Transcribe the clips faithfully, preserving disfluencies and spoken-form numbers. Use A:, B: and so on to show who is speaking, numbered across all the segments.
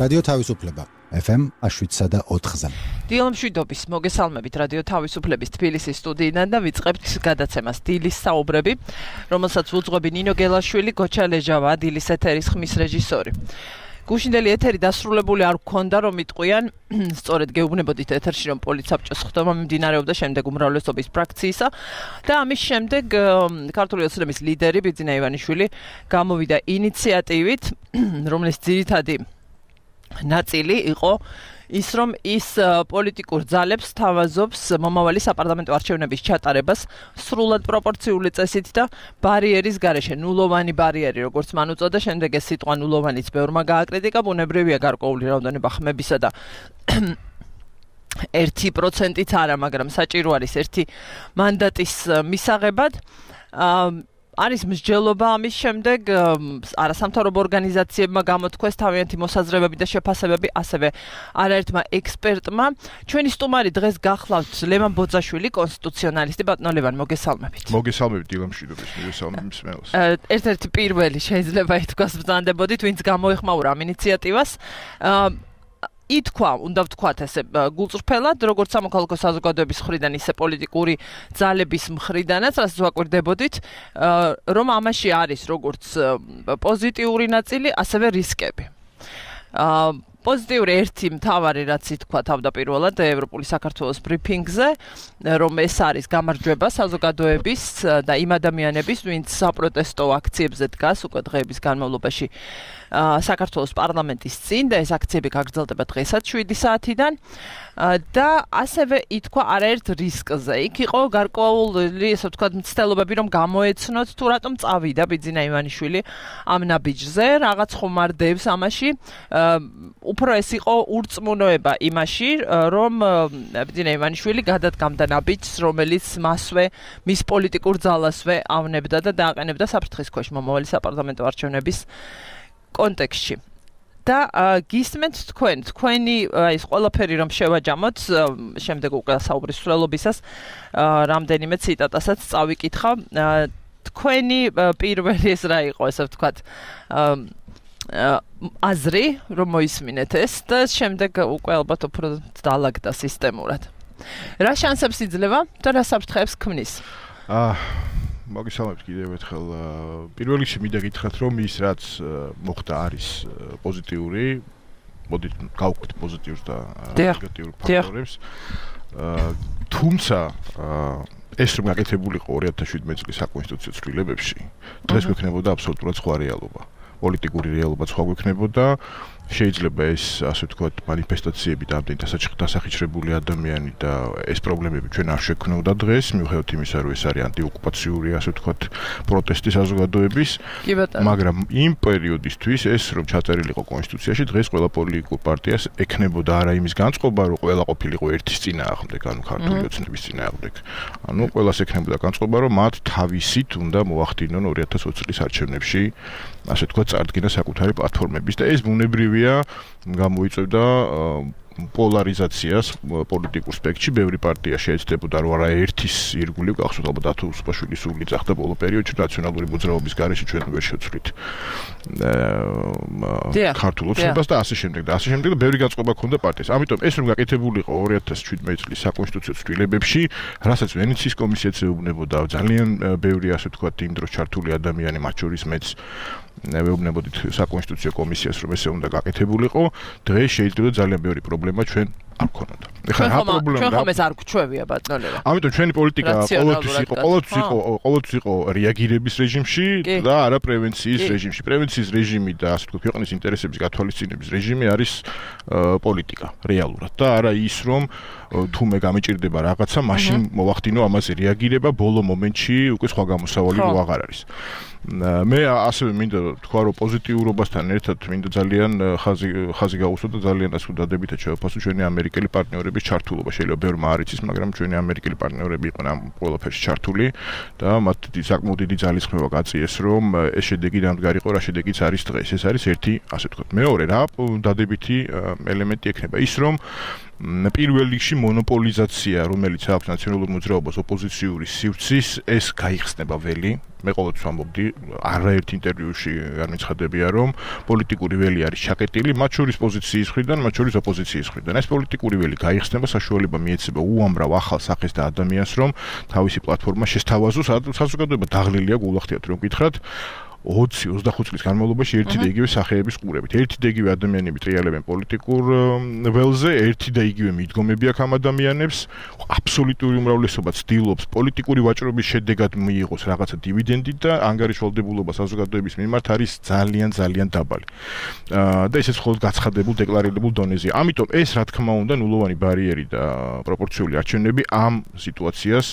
A: რადიო თავისუფლება ეფ ემ შვიდსა და ოთხზე.
B: დილა მშვიდობის მოგესალმებით რადიო თავისუფლების თბილისის სტუდიიდან და ვიწყებთ გადაცემას დილის საუბრები, რომელსაც უძღვები ნინო გელაშვილი, გოჩა ლეჟავა, დილის ეთერის ხმის რეჟისორი. გუშინდელი ეთერი დასრულებული არ გქონდა, რომ იტყვიან, სწორედ გეუბნებოდით ეთერში, რომ პოლიცსაბჭოს ხდომა მიმდინარეობდა შემდეგ უმრავლესობის ფრაქციისა და ამის შემდეგ ქართული ოცნების ლიდერი ბიძინა ივანიშვილი გამოვიდა ინიციატივით, რომლის ძირითადი ნაწილი იყო ის, რომ ის პოლიტიკურ ძალებს თავაზობს მომავალი საპარლამენტო არჩევნების ჩატარებას სრულად პროპორციული წესით და ბარიერის გარეშე, ნულოვანი ბარიერი, როგორც მან უწოდა, შემდეგ ეს სიტყვა ნულოვანიც ბევრმა გააკრიტიკა, ბუნებრივია გარკვეული რაოდენობა ხმებისა და ერთი პროცენტიც არა, მაგრამ საჭირო არის ერთი მანდატის მისაღებად. არის მსჯელობა ამის შემდეგ არასამთავრობო ორგანიზაციებმა გამოთქვეს თავიანთი მოსაზრებები და შეფასებები, ასევე არაერთმა ექსპერტმა. ჩვენი სტუმარი დღეს გახლავთ ლევან ბოძაშვილი, კონსტიტუციონალისტი. ბატონო ლევან, მოგესალმებით.
C: მოგესალმებით დილა მშვიდობის, მოგესალმებით მსმენელს.
B: ერთ-ერთი პირველი შეიძლება ითქვას ბრძანდებოდით, ვინც გამოეხმაურა ამ ინიციატივას. ითქვა, უნდა ვთქვათ ესე გულწრფელად, როგორც სამოქალაქო საზოგადოების მხრიდან, ისე პოლიტიკური ძალების მხრიდანაც, რასაც ვაკვირდებოდით, რომ ამაში არის როგორც პოზიტიური ნაწილი, ასევე რისკები. პოზიტიური ერთი მთავარი, რაც ითქვა თავდაპირველად ევროპული საქართველოს ბრიფინგზე, რომ ეს არის გამარჯვება საზოგადოების და იმ ადამიანების, ვინც საპროტესტო აქციებზე დგას უკვე დღეების განმავლობაში საქართველოს პარლამენტის წინ და ეს აქციები გაგრძელდება დღესაც შვიდი საათიდან და ასევე ითქვა არაერთ რისკზე. იქ იყო გარკვეული, ესე ვთქვათ, მცდელობები, რომ გამოეცნოთ თუ რატომ წავიდა ბიძინა ივანიშვილი ამ ნაბიჯზე, რაღაც ხომარდებს ამაში. უფრო ეს იყო ურწმუნოება იმაში, რომ ბიძინა ივანიშვილი გადადგამდა ნაბიჯს, რომელიც მასვე, მის პოლიტიკურ ძალასვე ავნებდა და დააყენებდა საფრთხის ქვეშ მომავალი საპარლამენტო არჩევნების კონტექსტში. და გისმენთ თქვენ, თქვენი ის ყველაფერი რომ შევაჯამოთ, შემდეგ უკვე საუბრის სრულობისას რამდენიმე ციტატასაც წავიკითხავ. თქვენი პირველი ეს რა იყო, ესე ვთქვათ, აზრი, რომ მოისმინეთ ეს და შემდეგ უკვე ალბათ უფრო დაალაგდა სისტემურად. რა შანსებს იძლევა და რა საფრთხეებს ქმნის?
C: აა მოგესალმებით კიდევ ერთხელ. პირველ რიგში მინდა გითხრათ, რომ ის რაც მოხდა არის პოზიტიური, მოდით გავყვეთ პოზიტიურს და ნეგატიურ ფაქტორებს. თუმცა ეს რომ გაკეთებულიყო ორი ათას შვიდმეტი წლის საკონსტიტუციო ცვლილებებში, დღეს გვექნებოდა აბსოლუტურად სხვა რეალობა. პოლიტიკური რეალობა სხვა გვექნებოდა. შეიძლება ეს, ასე ვთქვათ, მანიფესტაციები და ამდენი დასახიჩრებული ადამიანი და ეს პრობლემები ჩვენ არ შექმნოდა დღეს, მიუხედავად იმისა, რომ ეს არის ანტიოკუპაციური, ასე ვთქვათ, პროტესტი საზოგადოების. მაგრამ იმ პერიოდისთვის ეს რომ ჩაწერილიყო კონსტიტუციაში, დღეს ყველა პოლიტიკურ პარტიას ექნებოდა არა იმის განწყობა, რომ ყველა ყოფილიყო ერთის წინააღმდეგ, ანუ ქართული ოცნების წინააღმდეგ. ანუ ყველას ექნებოდა განწყობა, რომ მათ თავისით უნდა მოახდინონ ორი ათას ოცი წლის არჩევნებში, ასე ვთქვათ, წარდგენა საკუთარი პლატფორმების და ეს ბუნებრივია გამოიწვევდა პოლარიზაციას პოლიტიკურ სპექტრში. ბევრი პარტია შეეცდებოდა, რომ არა ერთის ირგვლივ გახსოვთ ალბათ ათო უსუპაშვილის სული ძახდა ბოლო პერიოდში რაციონალური მოძრაობის გარეშე ჩვენ ვერ შევცვლით ქართულ ოცნებას და ასე შემდეგ და ასე შემდეგ და ბევრი განწყობა ჰქონდა პარტიას. ამიტომ ეს რომ გაკეთებულიყო ორი ათას შვიდმეტი წლის საკონსტიტუციო ცვლილებებში, რასაც ვენეციის კომისიაც ეუბნებოდა, ძალიან ბევრი ასე ვთქვათ იმ დროს ჩართული ადამიანი, მათ შორის მეც ვეუბნებოდით საკონსტიტუციო კომისიას, რომ ესე უნდა გაკეთებულიყო, დღეს შეიძლება ძალიან ბევრი პრობლემა ჩვენ არ გქონოდა.
B: ეხლა რა პრობლემა? ჩვენ ხომ ეს არ გვჩვევია ბატონო ლევან.
C: ამიტომ ჩვენი პოლიტიკა ყოველთვის იყო, ყოველთვის იყო, ყოველთვის იყო რეაგირების რეჟიმში და არა პრევენციის რეჟიმში. პრევენციის რეჟიმი და ასე ვთქვათ, ქვეყნის ინტერესების გათვალისწინების რეჟიმი არის პოლიტიკა რეალურად და არა ის, რომ თუ მე გამეჭირდება რაღაცა, მაშინ მოვახდინო ამაზე რეაგირება, ბოლო მომენტში უკვე სხვა გამოსავალი რო აღარ არის. მე ასევე მინდა თქვა, რომ პოზიტიურობასთან ერთად მინდა ძალიან ხაზი ხაზი გავუსვა და ძალიან ასე დადებითად შევაფასო ჩვენი ამერიკელი პარტნიორების ჩართულობა. შეიძლება ბევრმა არ იცის, მაგრამ ჩვენი ამერიკელი პარტნიორები იყვნენ ამ ყველაფერში ჩართული და მათ საკმაოდ დიდი ძალისხმევა გაწიეს, რომ ეს შედეგი დამდგარიყო, რა შედეგიც არის დღეს. ეს არის ერთი, ასე ვთქვათ. მეორე, რა დადებითი ელემენტი ექნება ის, რომ პირველ რიგში მონოპოლიზაცია, რომელიც აქვს ნაციონალურ მოძრაობას ოპოზიციური სივრცის, ეს გაიხსნება ველი. მე ყოველთვის ვამბობდი, არაერთ ინტერვიუში არ მიცხადებია, რომ პოლიტიკური ველი არის ჩაკეტილი, მათ შორის პოზიციის მხრიდან, მათ შორის ოპოზიციის მხრიდან. ეს პოლიტიკური ველი გაიხსნება, საშუალება მიეცება უამრავ ახალ სახეს და ადამიანს, რომ თავისი პლატფორმა შესთავაზოს, საზოგადოება დაღლილია, გულახდიათ რომ გითხრათ. ოცი ოცდახუთ წლის განმავლობაში ერთი და იგივე სახეების ყურებით. ერთი და იგივე ადამიანები ტრიალებენ პოლიტიკურ ველზე, ერთი და იგივე მიდგომები აქვს ამ ადამიანებს. აბსოლუტური უმრავლესობა ცდილობს პოლიტიკური ვაჭრობის შედეგად მიიღოს რაღაცა დივიდენდი და ანგარიშვალდებულობა საზოგადოების მიმართ არის ძალიან ძალიან დაბალი. და ესეც მხოლოდ გაცხადებულ დეკლარირებულ დონეზე. ამიტომ ეს რა თქმა უნდა ნულოვანი ბარიერი და პროპორციული არჩევნები ამ სიტუაციას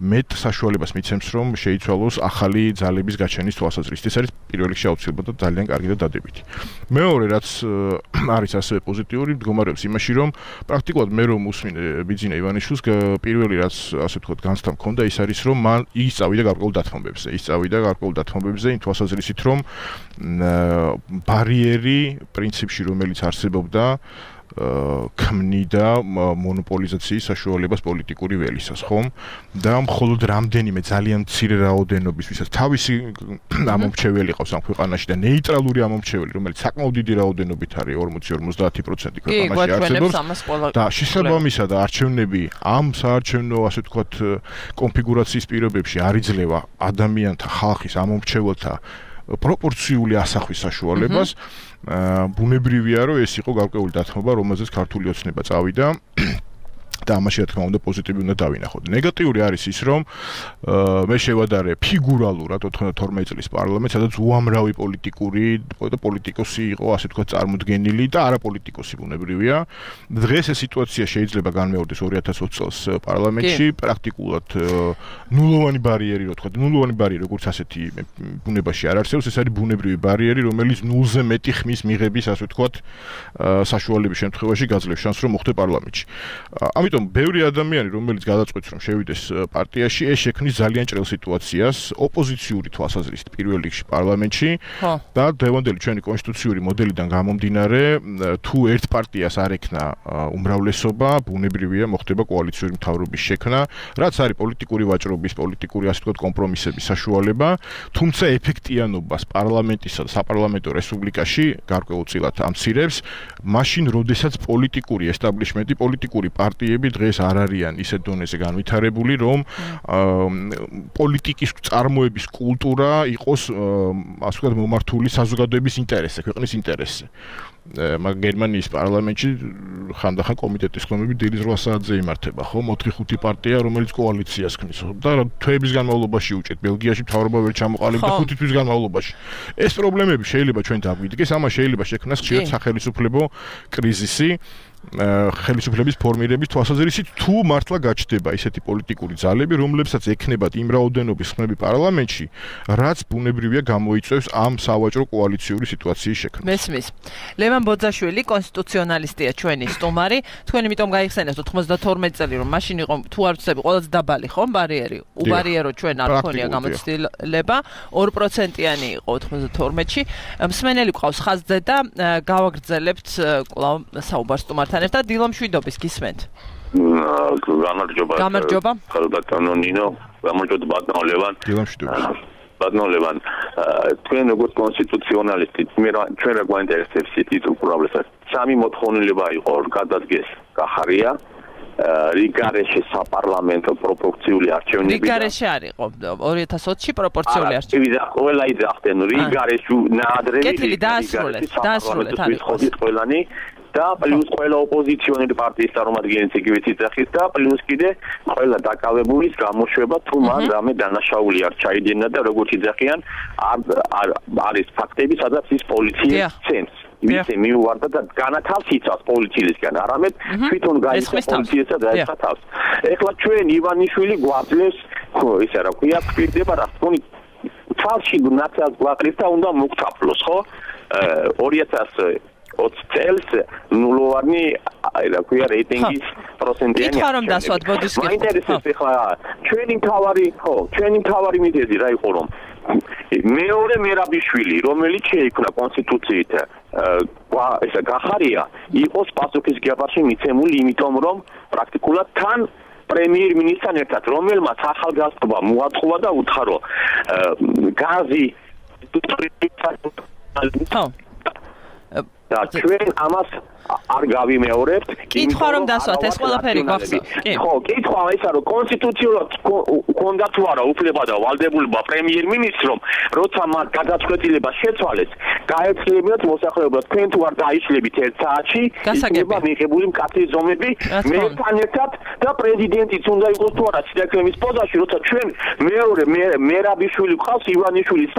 C: მეტ საშუალებას მიცემს, რომ შეიცვალოს ახალი ძალების გაჩენის თვალსაზრისით. ეს არის პირველ რიგში აუცილებლად და ძალიან კარგი და დადებითი. მეორე რაც არის ასევე პოზიტიური, მდგომარეობს იმაში, რომ პრაქტიკულად მე რომ უსმინე ბიძინა ივანიშვილს, პირველი რაც ასე ვთქვათ განცდა მქონდა, ის არის, რომ მან ის წავიდა გარკვეულ დათმობებზე. ის წავიდა გარკვეულ დათმობებზე იმ თვალსაზრისით, რომ ბარიერი პრინციპში, რომელიც არსებობდა, ქმნიდა მონოპოლიზაციის საშუალებას პოლიტიკური ველისას, ხომ? და მხოლოდ რამდენიმე ძალიან მცირე რაოდენობის, ვისაც თავისი ამომრჩეველი ყავს ამ ქვეყანაში და ნეიტრალური ამომრჩეველი, რომელიც საკმაოდ დიდი რაოდენობით არის ორმოცი ორმოცდაათი პროცენტი ქვეყანაში არსებობს. და შესაბამისად არჩევნები ამ საარჩევნო, ასე ვთქვათ, კონფიგურაციის პირობებში არ იძლევა ადამიანთა, ხალხის ამომრჩეველთა პროპორციული ასახვის საშუალებას. ბუნებრივია, რომ ეს იყო გარკვეული დათმობა, რომელზეც ქართული ოცნება წავიდა. და ამაში რა თქმა უნდა პოზიტივი უნდა დავინახოთ. ნეგატიური არის ის, რომ მე შევადარე ფიგურალურად ოთხმოცდათორმეტი წლის პარლამენტს, სადაც უამრავი პოლიტიკური და პოლიტიკოსი იყო, ასე ვთქვათ, წარმოდგენილი და არაპოლიტიკოსი ბუნებრივია. დღეს ეს სიტუაცია შეიძლება განმეორდეს ორი ათას ოცი წელს პარლამენტში, პრაქტიკულად ნულოვანი ბარიერი, რა ვთქვათ, ნულოვანი ბარიერი, როგორც ასეთი ბუნებაში არ არსებობს, ეს არის ბუნებრივი ბარიერი, რომელიც ნულზე მეტი ხმის მიღების, ასე ვთქვათ, საშუალების შემთხვევაში გაძლევს შანსს, რომ მოხდე პარლამენტში. ამიტომ ბევრი ადამიანი, რომელიც გადაწყვეტს, რომ შევიდეს პარტიაში, ეს შექმნის ძალიან ჭრელ სიტუაციას ოპოზიციური თვალსაზრისით პირველ რიგში პარლამენტში და დღევანდელი ჩვენი კონსტიტუციური მოდელიდან გამომდინარე, თუ ერთ პარტიას არ ექნა უმრავლესობა, ბუნებრივია მოხდება კოალიციური მთავრობის შექმნა, რაც არის პოლიტიკური ვაჭრობის, პოლიტიკური ასე ვთქვათ კომპრომისების საშუალება, თუმცა ეფექტიანობას პარლამენტისა და საპარლამენტო რესპუბლიკაში გარკვეულწილად ამცირებს, მაშინ, როდესაც პოლიტიკური ესტაბლიშმენტი, პოლიტიკური პარტიები დღეს არ არიან ისეთ დონეზე განვითარებული, რომ პოლიტიკის წარმოების კულტურა იყოს, ასე ვთქვათ, მომართული საზოგადოების ინტერესზე, ქვეყნის ინტერესზე. მაგ გერმანიის პარლამენტში ხანდახან კომიტეტის ხმები დილის რვა საათზე იმართება, ხო? ოთხი ხუთი პარტია, რომელიც კოალიციას ქმნის და თვეების განმავლობაში უჭერთ. ბელგიაში მთავრობა ვერ ჩამოყალიბდა ხუთი თვის განმავლობაში. ეს პრობლემები შეიძლება ჩვენ დაგვიდგეს, ამას შეიძლება შექმნას ხშირად სახელმწიფო კრიზისი. ხელისუფლების ფორმირების თვალსაზრისით, თუ მართლა გაჩნდება ისეთი პოლიტიკური ძალები, რომლებსაც ექნებათ იმ რაოდენობის ხმები პარლამენტში, რაც ბუნებრივია გამოიწვევს ამ სავაჭრო კოალიციური სიტუაციის შექმნას.
B: მესმის. ლევან ბოძაშვილი, კონსტიტუციონალისტია ჩვენი სტუმარი. თქვენ იმიტომ გაიხსენეთ ოთხმოცდათორმეტი წელი, რომ მაშინ იყო თუ არ ვცდები, ყველაზე დაბალი ხომ ბარიერი? უბარიერო ჩვენ არ ქონია გამოცდილება, ორი პროცენტიანი იყო ოთხმოცდათორმეტში. მსმენელი ყავს ხაზზე და გავაგრძელებთ კვლავ საუბარს სტუმართან. და დილო მშვიდობის გისმენთ.
D: გამარჯობა.
B: გამარჯობა.
D: ხალბატონო ნინო, გამარჯობა ბატონო ლევან.
C: დილო მშვიდობის.
D: ბატონო ლევან, თქვენ როგორც კონსტიტუციონალისტი, მე ჩვენ რა გვაინტერესებს ის უბრალოდ სამი მოთხოვნილება იყო გადადგეს კახარია. რიგარეში საპარლამენტო პროპორციული არჩევნები.
B: რიგარეში არ იყო ორი ათას ოცში პროპორციული არჩევნები.
D: ყველა იძახდნენ რიგარეში ნაადრევი.
B: კეთილი დაასრულეთ, დაასრულეთ არის.
D: ყველანი და პლუს ყველა ოპოზიციონერი პარტიის წარმომადგენლიც იგივე ციტახის და პლუს კიდე ყველა დაკავებულის გამოშვება თუ მან რამე დანაშაული არ ჩაიდინა და როგორც იძახიან არის ფაქტები, სადაც ის პოლიცია ცემს. ისე მიუვარდა და განათავს იცავს პოლიციისგან, არამედ თვითონ გაიცა პოლიციასა და ეცა თავს. ეხლა ჩვენ ივანიშვილი გვაძლევს, ხო, ისე რა ქვია, გვირდება რა თქონი თვალში ნაცած გვაყრის და უნდა მოგთაფლოს, ხო? ორი ათას ოცი წელს ნულოვანი, რა ქვია, რეიტინგის პროცენტიანი.
B: ითქვა რომ დასვათ ბოდისკი.
D: მაინტერესებს ეხლა ჩვენი მთავარი, ხო, ჩვენი მთავარი მიზეზი რა იყო რომ მეორე მერაბიშვილი, რომელიც შეიქმნა კონსტიტუციით, ესა გახარია, იყოს პასუხისმგებაში მიცემული, იმიტომ რომ პრაქტიკულად თან პრემიერ-მინისტრთან ერთად, რომელმაც ახალგაზრდობა მოათხოვა და უთხრა გაზი და ჩვენ ამას არ გავიმეორებთ.
B: კითხვა რომ დასვათ ეს ყველაფერი გახსოვს.
D: ხო, კითხვა ისა რომ კონსტიტუციურად ქონდა თუ არა უფლება და ვალდებულება პრემიერ-მინისტრომ, როცა მათ გადაწყვეტილება შეცვალეს, გაეცლებინათ მოსახლეობას, თქვენ თუ არ დაიშლებით ერთ საათში, იქნება მიღებული მკაცრი ზომები მეერთან ერთად და პრეზიდენტიც უნდა იყოს თუ არა სიძახემის პოზაში, როცა ჩვენ მეორე მერაბიშვილი ყავს ივანიშვილის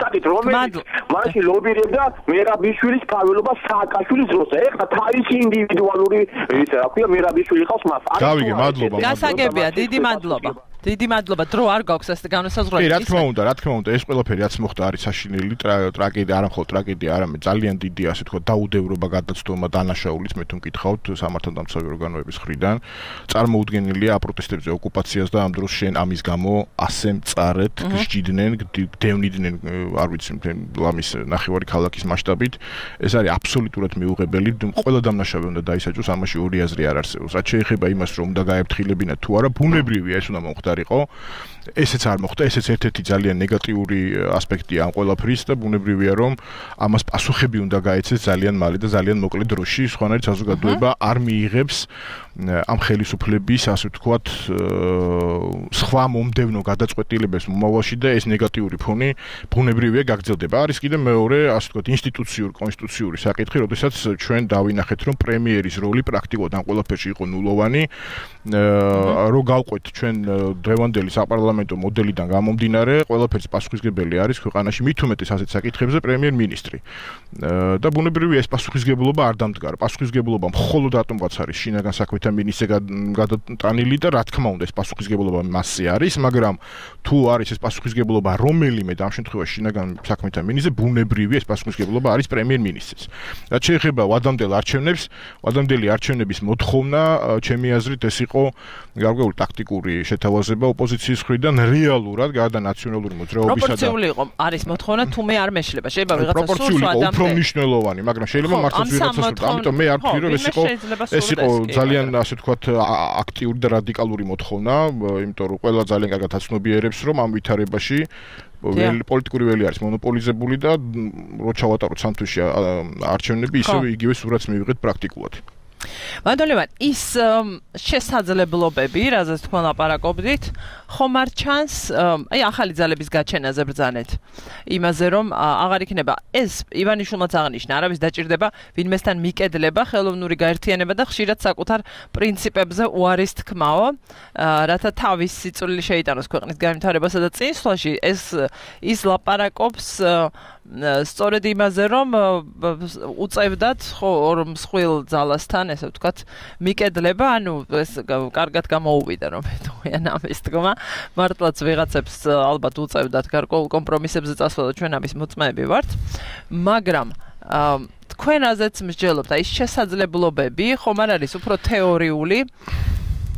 D: საკითხი, რომელიც მაშინ ლობირებდა მერაბიშვილის გაველობა სააკაშვილის დროზე. ეხლა თავისი ინდივიდუალური ისა რა ქვია მერაბიშვილი ყავს მას.
C: გავიგე, მადლობა.
B: გასაგებია, დიდი მადლობა. დიდი მადლობა. დრო არ გაქვს ეს განსაზღვრელი.
C: კი, რა თქმა უნდა, რა თქმა უნდა, ეს ყველაფერი რაც მოხდა არის საშინელი ტრაგედია, არა მხოლოდ ტრაგედია, არამედ ძალიან დიდი, ასე თქვა, დაუდევრობა გადაცდომა დანაშაულის, მე თუ მკითხავთ სამართალდამცავი ორგანოების მხრიდან, წარმოუდგენელია აპროტესტებზე ოკუპაციას და ამ დროს შენ ამის გამო ასე მწარეთ გსჯიდნენ, დევნიდნენ, არ ვიცი, ლამის ნახევარი ქალაქის მასშტაბით, ეს არის აბსოლუტურად მიუღებელი, ყველა დამნაშავე უნდა დაისაჯოს, ამაში ორი აზრი არ არსებობს. რაც შეეხება იმას, რომ უნდა გაეფრთხილებინა თუ არა, ბუნებრივია ეს უნდა მოხდეს. ესეც არ მოხდა, ესეც ერთ-ერთი ძალიან ნეგატიური ასპექტია ამ ყველაფრის და ბუნებრივია რომ ამას პასუხები უნდა გაეცეს ძალიან მალე და ძალიან მოკლე დროში, სხვანაირ საზოგადოება არ მიიღებს ამ ხელისუფლების, ასე ვთქვათ, სხვა მომდევნო გადაწყვეტილებებს მომავალში და ეს ნეგატიური ფონი ბუნებრივია გაგრძელდება. არის კიდე მეორე, ასე ვთქვათ, ინსტიტუციური, კონსტიტუციური საკითხი, როდესაც ჩვენ დავინახეთ, რომ პრემიერის როლი პრაქტიკულად ამ ყველაფერში იყო ნულოვანი, რო გავყვეთ ჩვენ დღევანდელი საპარლამენტო მოდელიდან გამომდინარე, ყველაფერს პასუხისმგებელი არის ქვეყანაში მით უმეტეს ასეთ საკითხებზე პრემიერ-მინისტრი. და ბუნებრივია ეს პასუხისმგებლობა არ დამდგარა. პასუხისმგებლობა მხოლოდ რატომღაც არის შინაგან საქმეთა მინისტრზე გადატანილი და რა თქმა უნდა ეს პასუხისმგებლობა მასზე არის, მაგრამ თუ არის ეს პასუხისმგებლობა რომელიმე და ამ შემთხვევაში შინაგან საქმეთა მინისტრზე, ბუნებრივია ეს პასუხისმგებლობა არის პრემიერ-მინისტრს. რაც შეეხება ვადამდელ არჩევნებს, ვადამდელი არჩევნების მოთხოვნა, ჩემი აზრით ეს იყო გარკვეული ტაქტიკური შეთავაზება ოპოზიციის მხრიდან რეალურად გარდა ნაციონალური მოძრაობისა და
B: პროპორციული იყო არის მოთხოვნა თუ მე არ მეშლება შეიძლება ვიღაცა სურს
C: ადამიანს უფრო მნიშვნელოვანი მაგრამ შეიძლება მართლაც ვიღაცა სურს ამიტომ მე არ ვთქვი რომ ეს იყო ეს იყო ძალიან ასე ვთქვათ აქტიური და რადიკალური მოთხოვნა იმიტომ რომ ყველა ძალიან კარგად აცნობიერებს რომ ამ ვითარებაში პოლიტიკური ველი არის მონოპოლიზებული და რო ჩავატაროთ სამთვისში არჩევნები ისევ იგივე სურათს მივიღეთ პრაქტიკულად
B: მადლობა ის შესაძლებლობები, რაზეც თქვენ ლაპარაკობდით, ხომ არ ჩანს, აი ახალი ძალების გაჩენაზე ბრძანეთ. იმაზე რომ აღარ იქნება ეს ივანიშვილმაც აღნიშნა, არავის დაჭირდება ვინმესთან მიკედლება, ხელოვნური გაერთიანება და ხშირად საკუთარ პრინციპებზე უარის თქმაო, რათა თავის სიწვრილი შეიტანოს ქვეყნის განვითარებასა და წინსვლაში, ეს ის ლაპარაკობს სწორედ იმაზე რომ უწევდათ ხო ორ მსხვილ ძალასთან ესე ვთქვათ მიკედლება ანუ ეს კარგად გამოუვიდა რომ თქვენ ამის თქმა მართლაც ვიღაცებს ალბათ უწევდათ გარკვეულ კომპრომისებზე წასვლა და ჩვენ ამის მოწმეები ვართ მაგრამ თქვენ აზეც მსჯელობთ აი შესაძლებლობები ხომ არ არის უფრო თეორიული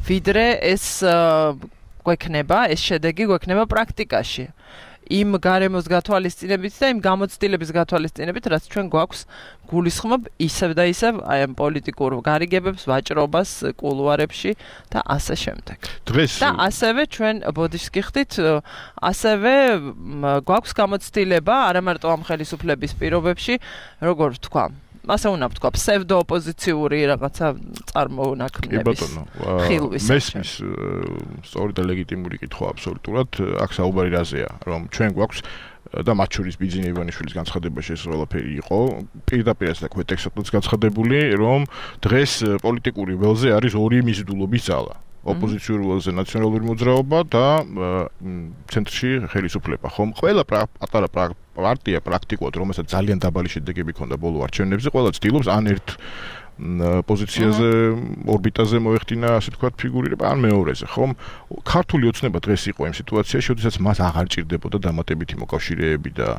B: ვიდრე ეს გვექნება ეს შედეგი გვექნება პრაქტიკაში იმ გარემოს გათვალისწინებით და იმ გამოცდილების გათვალისწინებით, რაც ჩვენ გვაქვს გულისხმობ ისევ და ისევ აი ამ პოლიტიკურ გარიგებებს, ვაჭრობას, კულუარებში და ასე შემდეგ.
C: დღეს
B: და ასევე ჩვენ ბოდიშს გიხდით, ასევე გვაქვს გამოცდილება არა მარტო ამ ხელისუფლების პირობებში, როგორ ვთქვა, ასე უნდა ვთქვა, ფსევდო ოპოზიციური რაღაცა წარმოუნაქმნების. ხილვის.
C: მესმის სწორი და ლეგიტიმური კითხვა აბსოლუტურად, აქ საუბარი რაზეა, რომ ჩვენ გვაქვს და მათ შორის ბიძინა ივანიშვილის განცხადებაში ეს ყველაფერი იყო, პირდაპირაც და ქვეტექსტადაც განცხადებული, რომ დღეს პოლიტიკური ველზე არის ორი მიზიდულობის ძალა. ოპოზიციური ველზე ნაციონალური მოძრაობა და ცენტრში ხელისუფლება, ხომ? ყველა პატარა პარტია პრაქტიკულად, რომელსაც ძალიან დაბალი შედეგები ჰქონდა ბოლო არჩევნებზე, ყველა ცდილობს ან ერთ პოზიციაზე, ორბიტაზე მოეხდინა, ასე ვთქვათ, ფიგურირება, ან მეორეზე, ხომ? ქართული ოცნება დღეს იყო იმ სიტუაციაში, როდესაც მას აღარ ჭირდებოდა დამატებითი მოკავშირეები და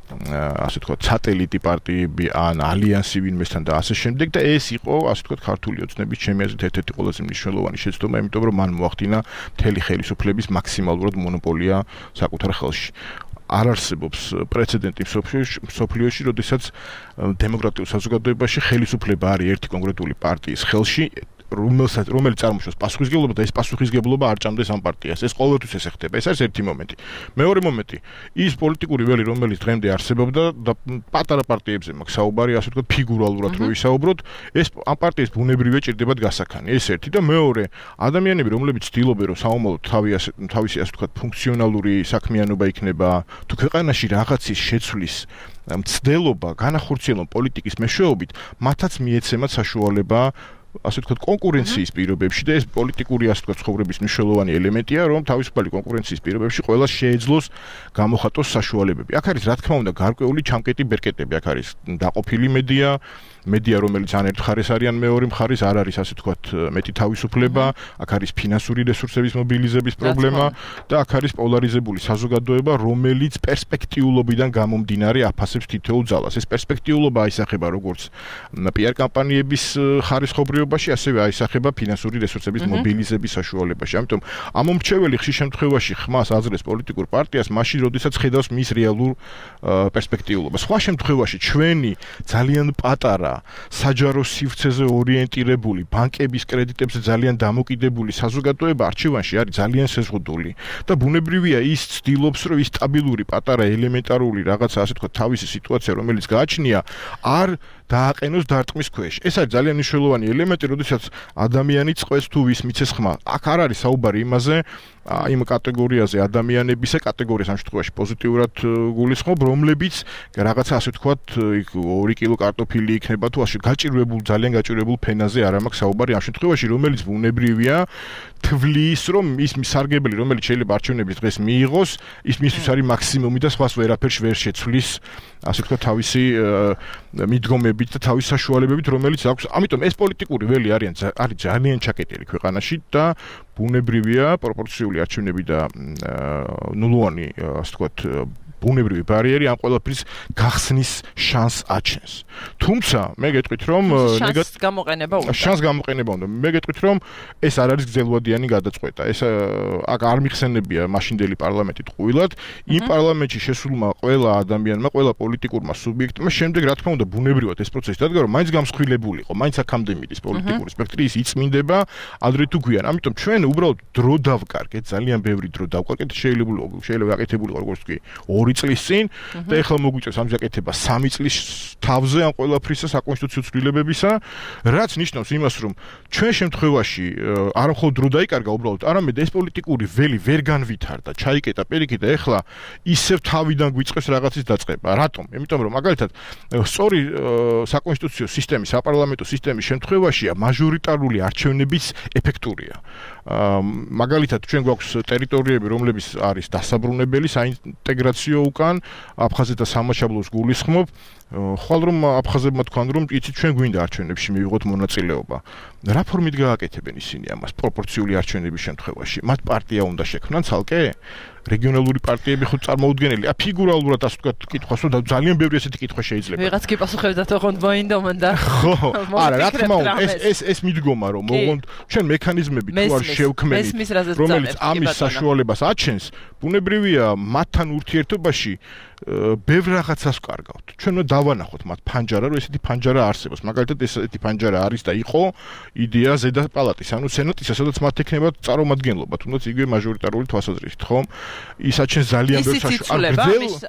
C: ასე თქვა სატელიტი პარტიები ან ალიანსი ვინმესთან და ასე შემდეგ და ეს იყო ასე თქვა ქართული ოცნების ჩემი აზრით ერთ-ერთი ყველაზე მნიშვნელოვანი შეცდომა, იმიტომ რომ მან მოახდინა მთელი ხელისუფლების მაქსიმალურად მონოპოლია საკუთარ ხელში. არ არსებობს პრეცედენტი მსოფლიოში, როდესაც დემოკრატიულ საზოგადოებაში ხელისუფლება არის ერთი კონკრეტული პარტიის ხელში, რომელსაც რომელიც წარმოშობს პასუხისმგებლობა და ეს პასუხისმგებლობა არ ჭამდეს ამ პარტიას. ეს ყოველთვის ესე ხდება. ეს არის ერთი მომენტი. მეორე მომენტი, ის პოლიტიკური ველი, რომელიც დღემდე არსებობდა და პატარა პარტიებზე მაქვს საუბარი, ასე ვთქვათ, ფიგურალურად რო ვისაუბროთ, ეს ამ პარტიის ბუნებრივია ჭირდებათ გასახანი. ეს ერთი და მეორე, ადამიანები, რომლებიც ცდილობენ, რომ საომალოდ თავისი ასე ვთქვათ, ფუნქციონალური საქმიანობა იქნება, თუ ქვეყანაში რაღაცის შეცვლის მცდელობა, განახორციელონ პოლიტიკის მეშვეობით, მათაც მიეცემათ საშუალება ასე ვთქვათ კონკურენციის პირობებში და ეს პოლიტიკური ასე ვთქვათ ცხოვრების მნიშვნელოვანი ელემენტია, რომ თავისუფალი კონკურენციის პირობებში ყველა შეეძლოს გამოხატოს საშუალებები. აქ არის რა თქმა უნდა გარკვეული ჩამკეტი ბერკეტები, აქ არის დაყოფილი მედია, მედია რომელიც ან ერთ მხარეს არის ან მეორე მხარეს არ არის ასე ვთქვათ მეტი თავისუფლება, აქ არის ფინანსური რესურსების მობილიზების პრობლემა და აქ არის პოლარიზებული საზოგადოება, რომელიც პერსპექტიულობიდან გამომდინარე აფასებს თითოეულ ძალას. ეს პერსპექტიულობა აისახება როგორც პიარ კამპანიების ხარისხობრიობაში, ასევე აისახება ფინანსური რესურსების მობილიზების საშუალებაში. ამიტომ ამომრჩეველი ხშირ შემთხვევაში ხმას აძლევს პოლიტიკურ პარტიას, მაშინ როდესაც ხედავს მის რეალურ პერსპექტიულობას. სხვა შემთხვევაში ჩვენი ძალიან პატარა საჯარო სივრცეზე ორიენტირებული, ბანკების კრედიტებზე ძალიან დამოკიდებული საზოგადოება არჩევანში არის ძალიან შეზღუდული და ბუნებრივია ის ცდილობს, რომ ის სტაბილური, პატარა, ელემენტარული რაღაცა ასე თქვა თავისი სიტუაცია, რომელიც გააჩნია, არ დააყენოს დარტყმის ქვეშ. ეს არის ძალიან მნიშვნელოვანი ელემენტი, როდესაც ადამიანი წყვეს თუ ვის მიცეს ხმა. აქ არ არის საუბარი იმაზე, იმ კატეგორიაზე ადამიანებისა კატეგორიას ამ შემთხვევაში პოზიტიურად გულისხმობ, რომლებიც რაღაცა ასე ვთქვათ, ორი კილო კარტოფილი იქნება თუ ასე გაჭირვებულ, ძალიან გაჭირვებულ ფენაზე არ მაქვს საუბარი ამ შემთხვევაში, რომელიც ბუნებრივია თვლის, რომ ის სარგებელი, რომელიც შეიძლება არჩევნების დღეს მიიღოს, ის მისთვის არის მაქსიმუმი და სხვას ვერაფერს ვერ შეცვლის, ასე ვთქვათ, თავისი მიდგომებით და თავის საშუალებებით, რომელიც აქვს. ამიტომ ეს პოლიტიკური ველი არიან არის ძალიან ჩაკეტილი ქვეყანაში და ბუნებრივია პროპორციული არჩევნები და ნულოვანი, ასე ვთქვათ, ბუნებრივი ბარიერი ამ ყველაფრის გახსნის შანსს აჩენს. თუმცა მე გეტყვით, რომ
B: შანსს გამოყენება უნდა.
C: შანსს გამოყენება უნდა. მე გეტყვით, რომ ეს არ არის გრძელვადიანი გადაწყვეტა. ეს აქ არ მიხსენებია მაშინდელი პარლამენტი ტყუილად. იმ პარლამენტში შესულმა ყველა ადამიანმა, ყველა პოლიტიკურმა სუბიექტმა შემდეგ რა თქმა უნდა ბუნებრივად ეს პროცესი დადგა, რომ მაინც გამსხვილებული იყო, მაინც აქამდე მიდის პოლიტიკური სპექტრი, ის იწმინდება ადრე თუ გვიან. ამიტომ ჩვენ უბრალოდ დრო დავკარგეთ, ძალიან ბევრი დრო დავკარგეთ, შეიძლება შეიძლება გაკეთებულიყო როგორც კი ორი წლის წინ და ეხლა მოგვიწევს ამ გაკეთება სამი წლის თავზე ამ ყველაფრისა საკონსტიტუციო ცვლილებებისა, რაც ნიშნავს იმას, რომ ჩვენ შემთხვევაში არ მხოლოდ დრო დაიკარგა უბრალოდ, არამედ ეს პოლიტიკური ველი ვერ განვითარდა, ჩაიკეტა პირიქით და ეხლა ისევ თავიდან გვიწყებს რაღაცის დაწყება. რატომ? იმიტომ რომ მაგალითად სწორი საკონსტიტუციო სისტემის, საპარლამენტო სისტემის შემთხვევაშია მაჟორიტარული არჩევნების ეფექტურია. მაგალითად ჩვენ გვაქვს ტერიტორიები, რომლებიც არის დასაბრუნებელი საინტეგრაციო უკან, აფხაზეთ და სამაშაბლოს გულისხმობ, ხვალ რომ აფხაზებმა თქვან რომ იცით ჩვენ გვინდა არჩევნებში მივიღოთ მონაწილეობა. რა ფორმით გააკეთებენ ისინი ამას პროპორციული არჩევნების შემთხვევაში? მათ პარტია უნდა შექმნან ცალკე? რეგიონალური პარტიები ხო წარმოუდგენელია? ფიგურალურად ასე ვთქვათ, კითხვას რომ ძალიან ბევრი ესეთი კითხვა შეიძლება.
B: ვიღაც კი პასუხებდა თქონდ მოინდომან და
C: ხო, არა, რა თქმა უნდა, ეს ეს ეს მიდგომა რომ მოგვონთ ჩვენ მექანიზმები თუ არ შევქმნით, რომელიც ამის საშუალებას აჩენს, ბუნებრივია მათთან ურთიერთობაში ბევრ რაღაცას ვკარგავთ. ჩვენ უნდა დავანახოთ მათ ფანჯარა, რომ ესეთი ფანჯარა არსებობს. მაგალითად ესეთი ფანჯარა არის და იყო იდეა ზედა პალატის, ანუ სენატისა, სადაც მათ ექნება წარმომადგენლობა, თუნდაც იგივე მაჟორიტარული თვალსაზრისით, ხო? ის აჩენს ძალიან ბევრ
B: საშუალებას.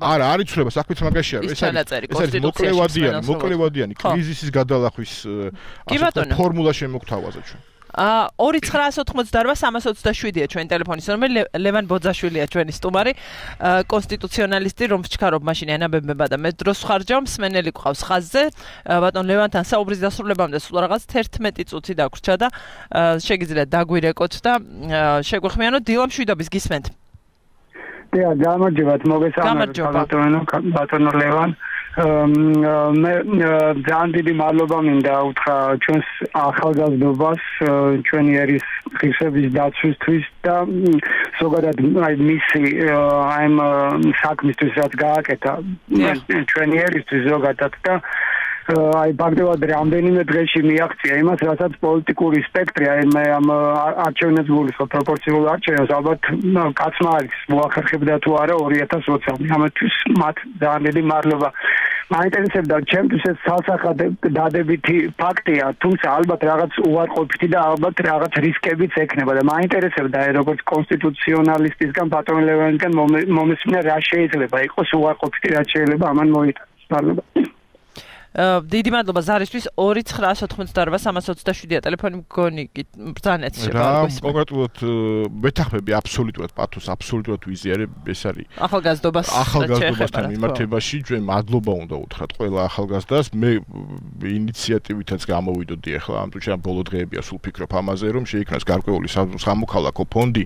C: არა, არ იცვლება, საქმეც მაგაში არის. ეს არის მოკლევადიანი, მოკლევადიანი კრიზისის გადალახვის ფორმულა შემოგთავაზა ჩვენ.
B: აა ორი ცხრაას ოთხმოცდაოთხ სამას ოცდაშვიდია ჩვენი ტელეფონის ნომერი. ლევან ბოძაშვილია ჩვენი სტუმარი, კონსტიტუციონალისტი, რომ ვჩქარობ მაშინ ენაბებება და მე დროს ხარჯავ, მსმენელი ყავს ხაზზე. ბატონ ლევანთან საუბრის დასრულებამდე სულ რაღაც თერთმეტი წუთი დაგვრჩა და შეგიძლიათ დაგვირეკოთ და შეგვეხმიანოთ. დილა მშვიდობის გისმენთ.
E: დიახ, გამარჯობათ, მოგესალმებით ბატონო ლევან. მე ძალიან დიდი მადლობა მინდა უთხრა ჩვენს ახალგაზრდობას, ჩვენი ერის ღირსების დაცვისთვის და ზოგადად აი მისი აი საქმისთვის რაც გააკეთა ჩვენი ერისთვის ზოგადად და აი ბაგდებად რამდენიმე დღეში მიაღწია იმას, რასაც პოლიტიკური სპექტრი, აი მე ამ არჩევნებს გულისხმობ პროპორციულ არჩევნებს, ალბათ კაცმა არის მოახერხებდა თუ არა ორი ათას ოცი. ამათვის მათ ძალიან დიდი მადლობა. მაინტერესებდა ჩემთვის ეს ცალსახად დადებითი ფაქტია, თუმცა ალბათ რაღაც უარყოფითი და ალბათ რაღაც რისკებიც ექნება და მაინტერესებდა აი როგორც კონსტიტუციონალისტისგან ბატონ ლევანისგან მომესმინა რა შეიძლება იყოს უარყოფითი, რა შეიძლება ამან მოიტანოს. მადლობა.
B: დიდი მადლობა ზარისთვის ორი ცხრაას ოთხმოცდაორვა სამას ოცდაშვიდია ტელეფონი მგონი ბრძანეთ
C: რა კონკრეტულად მეთახმები აბსოლუტურად პათოს აბსოლუტურად ვიზიარებ ეს არის
B: ახალგაზრდობას
C: ახალგაზრდობასთან მიმართებაში ჩვენ მადლობა უნდა უთხრათ ყველა ახალგაზრდას მე ინიციატივითაც გამოვიდოდი ახლა ამ თუჩა ბოლო დღეებია სულ ფიქრობ ამაზე რომ შეიქმნას გარკვეული სამოქალაქო ფონდი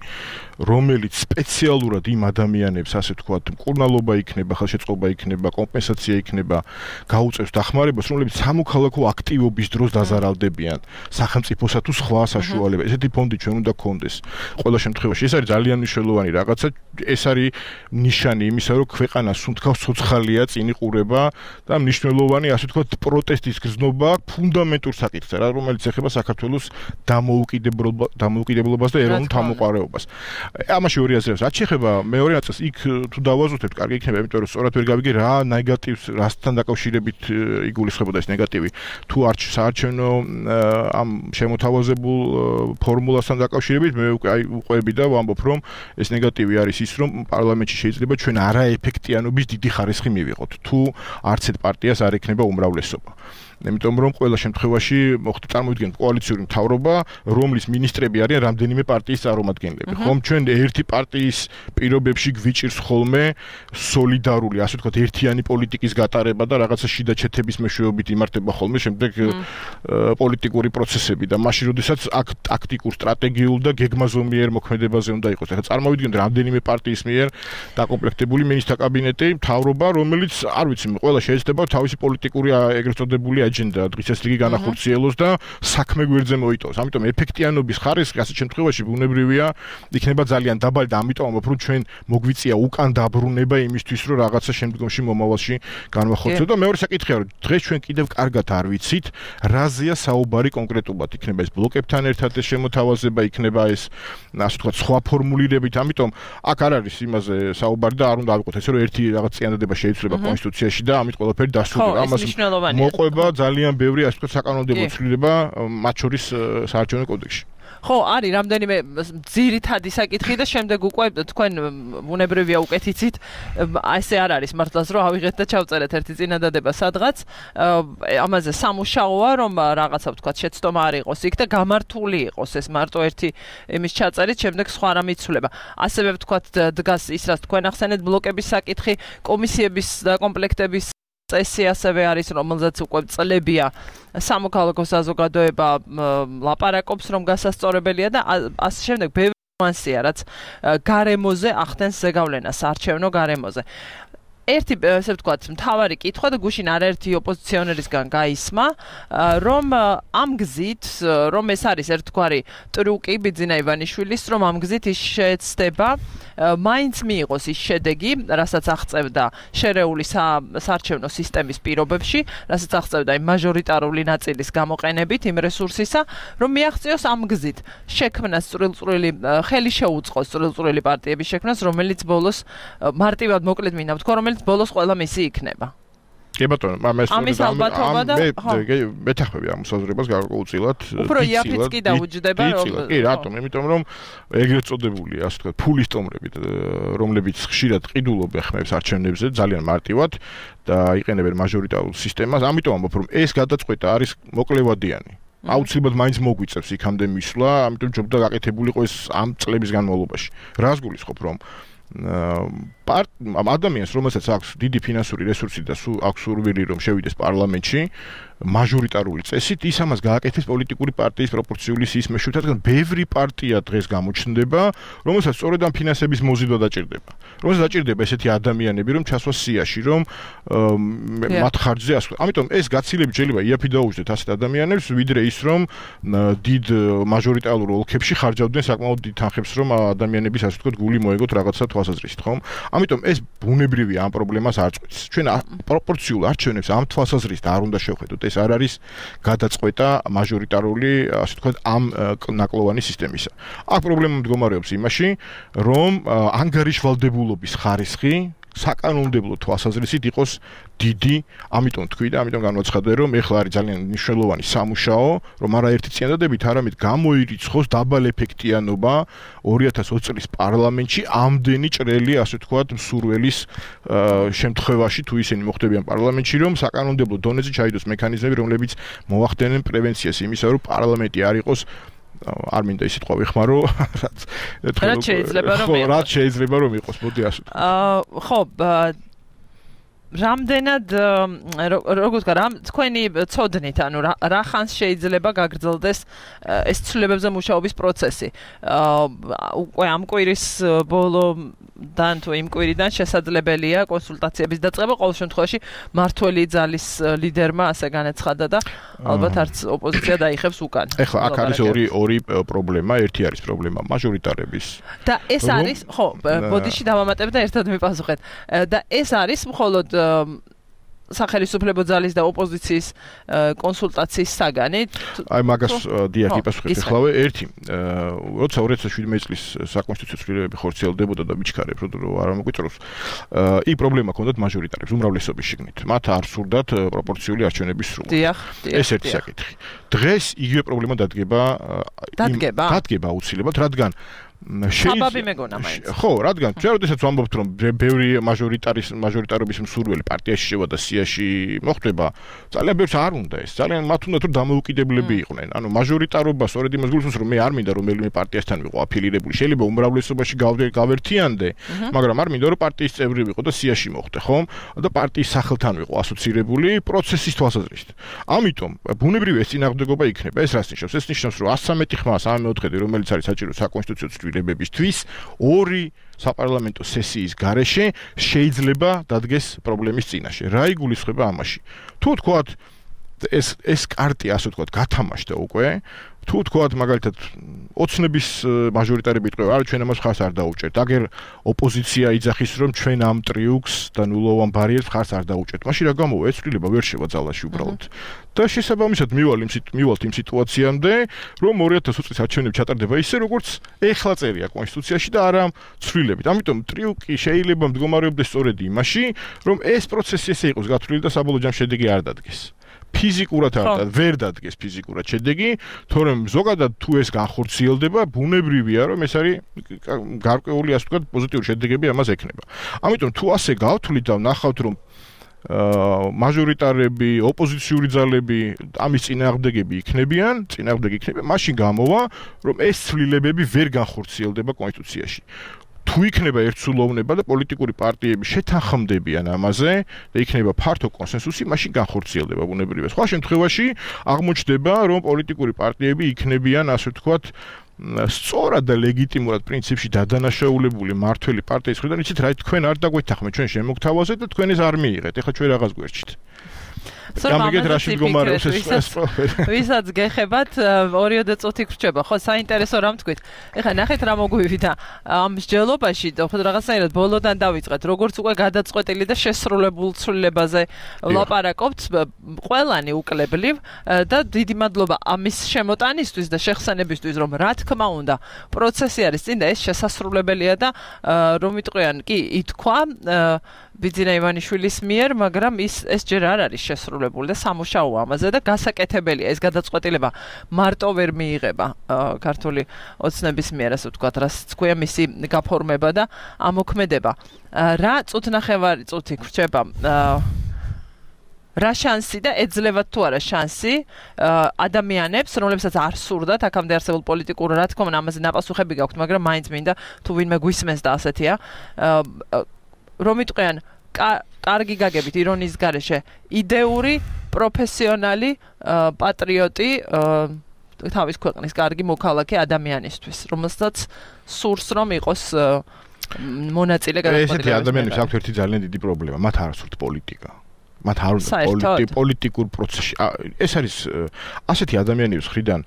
C: რომელიც სპეციალურად იმ ადამიანებს ასე ვთქვათ მკურნალობა იქნება ხელშეწყობა იქნება კომპენსაცია იქნება გაუწევს დახმარებას რომლებიც სამოქალაქო აქტივობის დროს დაზარავდებიან სახელმწიფოსა თუ სხვა საშუალება ესეთი ფონდი ჩვენ უნდა გქონდეს ყველა შემთხვევაში ეს არის ძალიან მნიშვნელოვანი რაღაცა ეს არის ნიშანი იმისა რომ ქვეყანა სუნთქავს ცოცხალია წინ იყურება და მნიშვნელოვანი ასე ვთქვათ პროტესტის გზნობა ფუნდამენტურ საკითხზე რა რომელიც ეხება საქართველოს დამოუკიდებლობას და ეროვნულ თავმოყრაობას ამაში ორი აზრია რაც შეეხება მეორე ნაწილს იქ თუ დავაზუსტებთ კარგი იქნება იმიტომ რომ სწორად ვერ გავიგე რა ნეგატივს რასთან დაკავშირებით იგულისხმებოდა ეს ნეგატივი თუ არ საარჩევნო ამ შემოთავაზებულ ფორმულასთან დაკავშირებით მე აი უყვები და ვამბობ რომ ეს ნეგატივი არის ის რომ პარლამენტში შეიძლება ჩვენ არაეფექტიანობის დიდი ხარისხი მივიღოთ თუ არც ერთ პარტიას არ ექნება უმრავლესობა იმიტომ რომ ყველა შემთხვევაში მოხდა წარმოვიდგენთ კოალიციური მთავრობა რომლის მინისტრები არიან რამდენიმე პარტიის წარმომადგენლები ხომ ჩვენ ერთი პარტიის პირობებში გვიჭირს ხოლმე სოლიდარული ასე ვთქვათ ერთიანი პოლიტიკის გატარება და რაღაცა შიდა ჩეთების მეშვეობით იმართება ხოლმე შემდეგ პოლიტიკური პროცესები და მაშინ როდესაც აქ ტაქტიკურ სტრატეგიულ და გეგმაზომიერ მოქმედებაზე უნდა იყოს ახლა წარმოვიდგენთ რამდენიმე პარტიის მიერ დაკომპლექტებული მინისტრთა კაბინეტი მთავრობა რომელიც არ ვიცი ყველა შეიძლება თავისი პოლიტიკური ეგრეთ წოდებული აჯენდა დღესასწაული განახორციელოს და საქმე გვერდზე მოიტოვოს. ამიტომ ეფექტიანობის ხარისხი ასეთ შემთხვევაში ბუნებრივია იქნება ძალიან დაბალი და ამიტომ ვამბობ რომ ჩვენ მოგვიწია უკან დაბრუნება იმისთვის რომ რაღაცა შემდგომში მომავალში განვახორციელოთ და მეორე საკითხია რომ დღეს ჩვენ კიდევ კარგად არ ვიცით რაზეა საუბარი კონკრეტულად იქნება ეს ბლოკებთან ერთად ეს შემოთავაზება იქნება ეს ასე ვთქვათ სხვა ფორმულირებით ამიტომ აქ არ არის იმაზე საუბარი და არ უნდა ავიღოთ ესე რომ ერთი რაღაც წინადადება შეიცვლება კონსტიტუციაში და ამით ყველაფერი დასრულდება
B: ამას
C: მოყვება ძალიან ბევრი ასე ვთქვათ საკანონმდებლო ცვლილება მათ შორის საარჩევნო კოდექსში
B: ხო, არის რამდენიმე ძირითადი საკითხი და შემდეგ უკვე თქვენ ბუნებრივია უკეთიცით, ესე არ არის მართლაც რომ ავიღეთ და ჩავწერეთ ერთი წინადადება სადღაც. ამაზე სამუშაოა რომ რაღაცა ვთქვათ შეცდომა არ იყოს იქ და გამართული იყოს ეს მარტო ერთი იმის ჩაწერით, შემდეგ სხვა რამ იცვლება. ასევე ვთქვათ დგას ის რაც თქვენ ახსენეთ ბლოკების საკითხი, კომისიების დაკომპლექტების წესი ასევე არის რომელზეც უკვე წლებია სამოქალაქო საზოგადოება ლაპარაკობს რომ გასასწორებელია და ასე შემდეგ ბევრი ნიუანსია რაც გარემოზე ახდენს ზეგავლენას არჩევნო გარემოზე ერთი ესე ვთქვათ მთავარი კითხვა და გუშინ არაერთი ოპოზიციონერისგან გაისმა რომ ამ გზით რომ ეს არის ერთგვარი ტრუკი ბიძინა ივანიშვილის რომ ამ გზით ის შეეცდება მაინც მიიღოს ის შედეგი რასაც აღწევდა შერეული საარჩევნო სისტემის პირობებში რასაც აღწევდა იმ მაჟორიტარული ნაწილის გამოყენებით იმ რესურსისა რომ მიაღწიოს ამ გზით შექმნას წვრილ-წვრილი ხელი შეუწყოს წვრილ-წვრილი პარტიების შექმნას რომელიც ბოლოს მარტივად მოკლედ მინდა ვთქვა რომელიც ბოლოს ყველა მისი იქნება.
C: კი ბატონო, ამას
B: ამის ალბათობა და
C: მე მეთახმები ამ საზრებას გარკვეულწილად.
B: უფრო იაფიც კი დაუჯდება რომ
C: კი რატომ? იმიტომ რომ ეგრეთ წოდებული ასე ვთქვათ ფულის ტომრებით რომლებიც ხშირად ყიდულობენ ხმებს არჩევნებზე ძალიან მარტივად და იყენებენ მაჟორიტარულ სისტემას. ამიტომ ამბობ რომ ეს გადაწყვეტა არის მოკლევადიანი. აუცილებლად მაინც მოგვიწევს იქამდე მისვლა, ამიტომ ჯობდა გაკეთებულიყო ეს ამ წლების განმავლობაში. რას გულისხმობ რომ პარტ ადამიანს რომელსაც აქვს დიდი ფინანსური რესურსი და აქვს სურვილი რომ შევიდეს პარლამენტში მაჟორიტარული წესით ის ამას გააკეთებს პოლიტიკური პარტიის პროპორციული სიის მეშვეობით, რადგან ბევრი პარტია დღეს გამოჩნდება, რომელსაც სწორედ ამ ფინანსების მოზიდვა დაჭირდება. რომელსაც დაჭირდება ესეთი ადამიანები, რომ ჩასვას სიაში, რომ მათ ხარჯზე ასვლა. ამიტომ ეს გაცილებით შეიძლება იაფი დაუჯდეთ ასეთ ადამიანებს, ვიდრე ის რომ დიდ მაჟორიტარულ ოლქებში ხარჯავდნენ საკმაოდ დიდ თანხებს, რომ ადამიანების ასე ვთქვათ გული მოეგოთ რაღაცა თვალსაზრისით, ხომ? ამიტომ ეს ბუნებრივია ამ პრობლემას არ წყვეტს. ჩვენ პროპორციულ არჩევნებს ამ თვალსაზრისით არ უნდა შევხედოთ. ეს არ არის გადაწყვეტა მაჟორიტარული, ასე ვთქვათ, ამ ნაკლოვანი სისტემისა. აქ პრობლემა მდგომარეობს იმაში, რომ ანგარიშვალდებულობის ხარისხი საკანონმდებლო თვალსაზრისით იყოს დიდი, ამიტომ თქვი და ამიტომ განვაცხადე, რომ ეხლა არის ძალიან მნიშვნელოვანი სამუშაო, რომ არაერთი წინადადებით, არამედ გამოირიცხოს დაბალ ეფექტიანობა ორი ათას ოცი წლის პარლამენტში ამდენი ჭრელი, ასე ვთქვათ, მსურველის შემთხვევაში, თუ ისინი მოხდებიან პარლამენტში, რომ საკანონმდებლო დონეზე ჩაიდოს მექანიზმები, რომლებიც მოახდენენ პრევენციას იმისა, რომ პარლამენტი არ იყოს არ მინდა ისე თქვა ვიხმარო, რაც
B: რაც შეიძლება რომ იყოს.
C: რაც შეიძლება რომ იყოს, მოდი ასე.
B: აა ხო, რამდენად როგორ ვთქვა, რამ თქვენი ცოდნით, ანუ რა ხანს შეიძლება გაგრძელდეს ეს ცვლილებებზე მუშაობის პროცესი. უკვე ამ კვირის ბოლოდან თუ იმ კვირიდან შესაძლებელია კონსულტაციების დაწყება, ყოველ შემთხვევაში მართველი ძალის ლიდერმა ასე განაცხადა და ალბათ არც ოპოზიცია დაიხევს უკან.
C: ეხლა აქ არის ორი ორი პრობლემა, ერთი არის პრობლემა მაჟორიტარების.
B: და ეს არის, ხო, ბოდიში დავამატებ და ერთად მიპასუხეთ. და ეს არის მხოლოდ სახელმწიფო ძალის და ოპოზიციის კონსულტაციის საგანი.
C: აი მაგას დიახ იპასუხებ ეხლავე ერთი. როცა ორი ათას შვიდმეტი წლის საკონსტიტუციო ცვლილებები ხორციელდებოდა და მიჩქარებ რომ არ მოგვიწროს, იქ პრობლემა ჰქონდათ მაჟორიტარებს უმრავლესობის შიგნით. მათ არ სურდათ პროპორციული არჩევნების სრულად.
B: დიახ, დიახ.
C: ეს ერთი საკითხი. დღეს იგივე პრობლემა დადგება
B: დადგება
C: დადგება აუცილებლად, რადგან
B: საბაბი მეგონა მაინც.
C: ხო, რადგან ჩვენ როდესაც ვამბობთ რომ ბევრი მაჟორიტარის მაჟორიტარობის მსურველი პარტიაში შევა და სიაში მოხდება, ძალიან ბევრს არ უნდა ეს. ძალიან მათ უნდა რომ დამოუკიდებლები იყვნენ. ანუ მაჟორიტარობა სწორედ იმას გულისხმობს რომ მე არ მინდა რომელიმე პარტიასთან ვიყო აფილირებული. შეიძლება უმრავლესობაში გავერთიანდე, მაგრამ არ მინდა რომ პარტიის წევრი ვიყო და სიაში მოხვდე, ხომ? და პარტიის სახელთან ვიყო ასოცირებული პროცესის თვალსაზრისით. ამიტომ ბუნებრივი ეს წინააღმდეგობა იქნება. ეს რას ნიშნავს? ეს ნიშნავს რომ one thirty-three ხმა, one forty-four რომელიც არის საჭირო საკონსტიტუციო ცვლილებებისთვის ორი საპარლამენტო სესიის გარეშე შეიძლება დადგეს პრობლემის წინაშე. რა იგულისხმება ამაში? თუ თქვათ ეს ეს კარტი ასე ვთქვათ გათამაშდა უკვე, თუ თქვათ მაგალითად ოცნების მაჟორიტარები იტყვება, არა ჩვენ ამას ხარს არ დაუჭერთ. აგერ ოპოზიცია იძახის რომ ჩვენ ამ ტრიუქს და ნულოვან ბარიერს ხარს არ დაუჭერთ. მაშინ რა გამოვა? ეს ცვლილება ვერ შევა ძალაში უბრალოდ. და შესაბამისად მივალ იმ მივალთ იმ სიტუაციამდე, რომ ორი ათას ოცი წლის არჩევნები ჩატარდება ისე როგორც ეხლა წერია კონსტიტუციაში და არა ცვლილებით. ამიტომ ტრიუკი შეიძლება მდგომარეობდეს სწორედ იმაში, რომ ეს პროცესი ესე იყოს გათვლილი და საბოლოო ჯამში შედეგი არ დადგეს. ფიზიკურად არ ვერ დადგეს ფიზიკურად შედეგი, თორემ ზოგადად თუ ეს განხორციელდება, ბუნებრივია რომ ეს არის გარკვეული ასე ვთქვათ პოზიტიური შედეგები ამას ექნება. ამიტომ თუ ასე გავთვლით და ვნახავთ რომ მაჟორიტარები, ოპოზიციური ძალები ამის წინააღმდეგები იქნებიან, წინააღმდეგი იქნებიან, მაშინ გამოვა რომ ეს ცვლილებები ვერ განხორციელდება კონსტიტუციაში. თუ იქნება ერთსულოვნება და პოლიტიკური პარტიები შეთანხმდებიან ამაზე და იქნება ფართო კონსენსუსი, მაშინ განხორციელდება ბუნებრივია. სხვა შემთხვევაში აღმოჩნდება, რომ პოლიტიკური პარტიები იქნებიან, ასე ვთქვათ, სწორად და ლეგიტიმურად პრინციპში დადანაშაულებული მართველი პარტიის მხრიდან, იცით რა, თქვენ არ დაგვეთანხმეთ ჩვენ შემოგთავაზეთ და თქვენ ეს არ მიიღეთ. ეხლა ჩვენ რაღაც გვერჩით. გამიგეთ რაში მდგომარეობს ეს
B: ვისაც გეხებათ ორიოდე წუთი გრჩება ხო საინტერესო რამ თქვით ეხლა ნახეთ რა მოგვივიდა ამ მსჯელობაში ხო რაღაცნაირად ბოლოდან დავიწყეთ როგორც უკვე გადაწყვეტილი და შესრულებულ ცვლილებაზე ვლაპარაკობთ ყველანი უკლებლივ და დიდი მადლობა ამის შემოტანისთვის და შეხსენებისთვის რომ რა თქმა უნდა პროცესი არის წინ და ეს შესასრულებელია და რომ ვიტყვიან კი ითქვა ბიძინა ივანიშვილის მიერ, მაგრამ ის ეს ჯერ არ არის შესრულებული და სამუშაო ამაზე და გასაკეთებელია ეს გადაწყვეტილება მარტო ვერ მიიღება ქართული ოცნების მიერ, ასე ვთქვათ, რაც თქვია მისი გაფორმება და ამოქმედება. რა წუთნახევარი წუთი გრჩება რა შანსი და ეძლევათ თუ არა შანსი ადამიანებს, რომლებსაც არ სურდათ აქამდე არსებულ პოლიტიკურ, რა თქმა უნდა, ამაზე ნაპასუხები გაქვთ, მაგრამ მაინც მინდა თუ ვინმე გვისმენს და ასეთია, რომ იტყვიან კარგი გაგებით ირონიის გარეშე, იდეური, პროფესიონალი, პატრიოტი, თავის ქვეყნის კარგი მოქალაქე ადამიანისთვის, რომელსაც სურს რომ იყოს მონაწილე გადაწყვეტილებაში.
C: ესეთი ადამიანებს აქვთ ერთი ძალიან დიდი პრობლემა, მათ არ სურთ პოლიტიკა. მათ არ უნდა პოლიტიკურ პროცესში. ეს არის ასეთი ადამიანების მხრიდან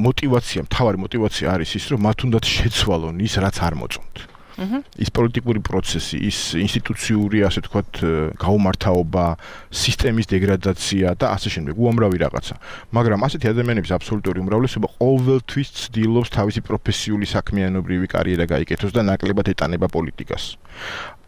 C: мотивация, მთავარი мотивация არის ის, რომ მათ უნდათ შეცვალონ ის, რაც არ მოწონთ. ის პოლიტიკური პროცესი, ის ინსტიტუციური, ასე ვთქვათ, გაუმართავობა, სისტემის დეგრადაცია და ასე შემდეგ, უამრავი რაღაცა. მაგრამ ასეთი ადამიანების აბსოლუტური უმრავლესობა ყოველთვის ცდილობს თავისი პროფესიული საქმიანობრივი კარიერა გაიკეთოს და ნაკლებად ეტანება პოლიტიკას.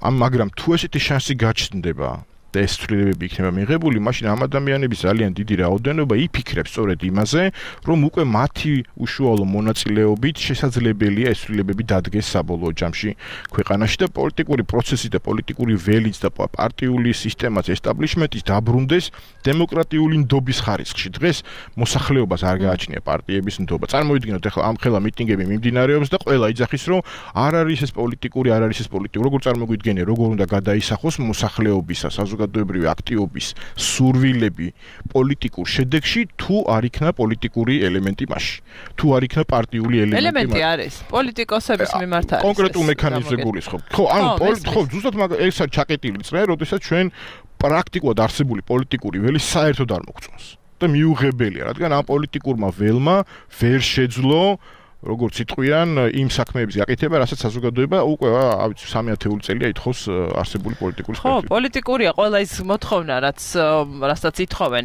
C: ამ მაგრამ თუ ესეთი შანსი გაჩნდება და ეს ცვლილებები იქნება მიღებული, მაშინ ამ ადამიანების ძალიან დიდი რაოდენობა იფიქრებს სწორედ იმაზე, რომ უკვე მათი უშუალო მონაწილეობით შესაძლებელია ეს ცვლილებები დადგეს საბოლოო ჯამში ქვეყანაში და პოლიტიკური პროცესი და პოლიტიკური ველიც და პარტიული სისტემაც ესტაბლიშმენტის დაბრუნდეს დემოკრატიული ნდობის ხარისხში. დღეს მოსახლეობას არ გააჩნია პარტიების ნდობა. წარმოვიდგინოთ ახლა ამ ხელა მიტინგები მიმდინარეობს და ყველა იძახის, რომ არ არის ეს პოლიტიკური, არ არის ეს პოლიტიკური. როგორ წარმოგვიდგენია, როგორ უნდა გადაისახოს მოსახლეობისა საზოგადოებრივი აქტივობის სურვილები პოლიტიკურ შედეგში, თუ არ იქნა პოლიტიკური ელემენტი მასში. თუ არ იქნა პარტიული ელემენტი.
B: ელემენტი არის პოლიტიკოსების მიმართ არის.
C: კონკრეტულ მექანიზმზე გულისხმობ. ხო, ანუ ხო, ზუსტად ეს არის ჩაკეტილი წრე, როდესაც ჩვენ პრაქტიკულად არსებული პოლიტიკური ველი საერთოდ არ მოგწონს. და მიუღებელია, რადგან ამ პოლიტიკურმა ველმა ვერ შეძლო როგორც იტყვიან, იმ საქმეების გაკეთება, რასაც საზოგადოება უკვე ავიცი სამი ათეული წელია ითხოვს არსებული პოლიტიკური
B: სპექტრი. ხო, პოლიტიკურია ყველა ის მოთხოვნა, რაც რასაც ითხოვენ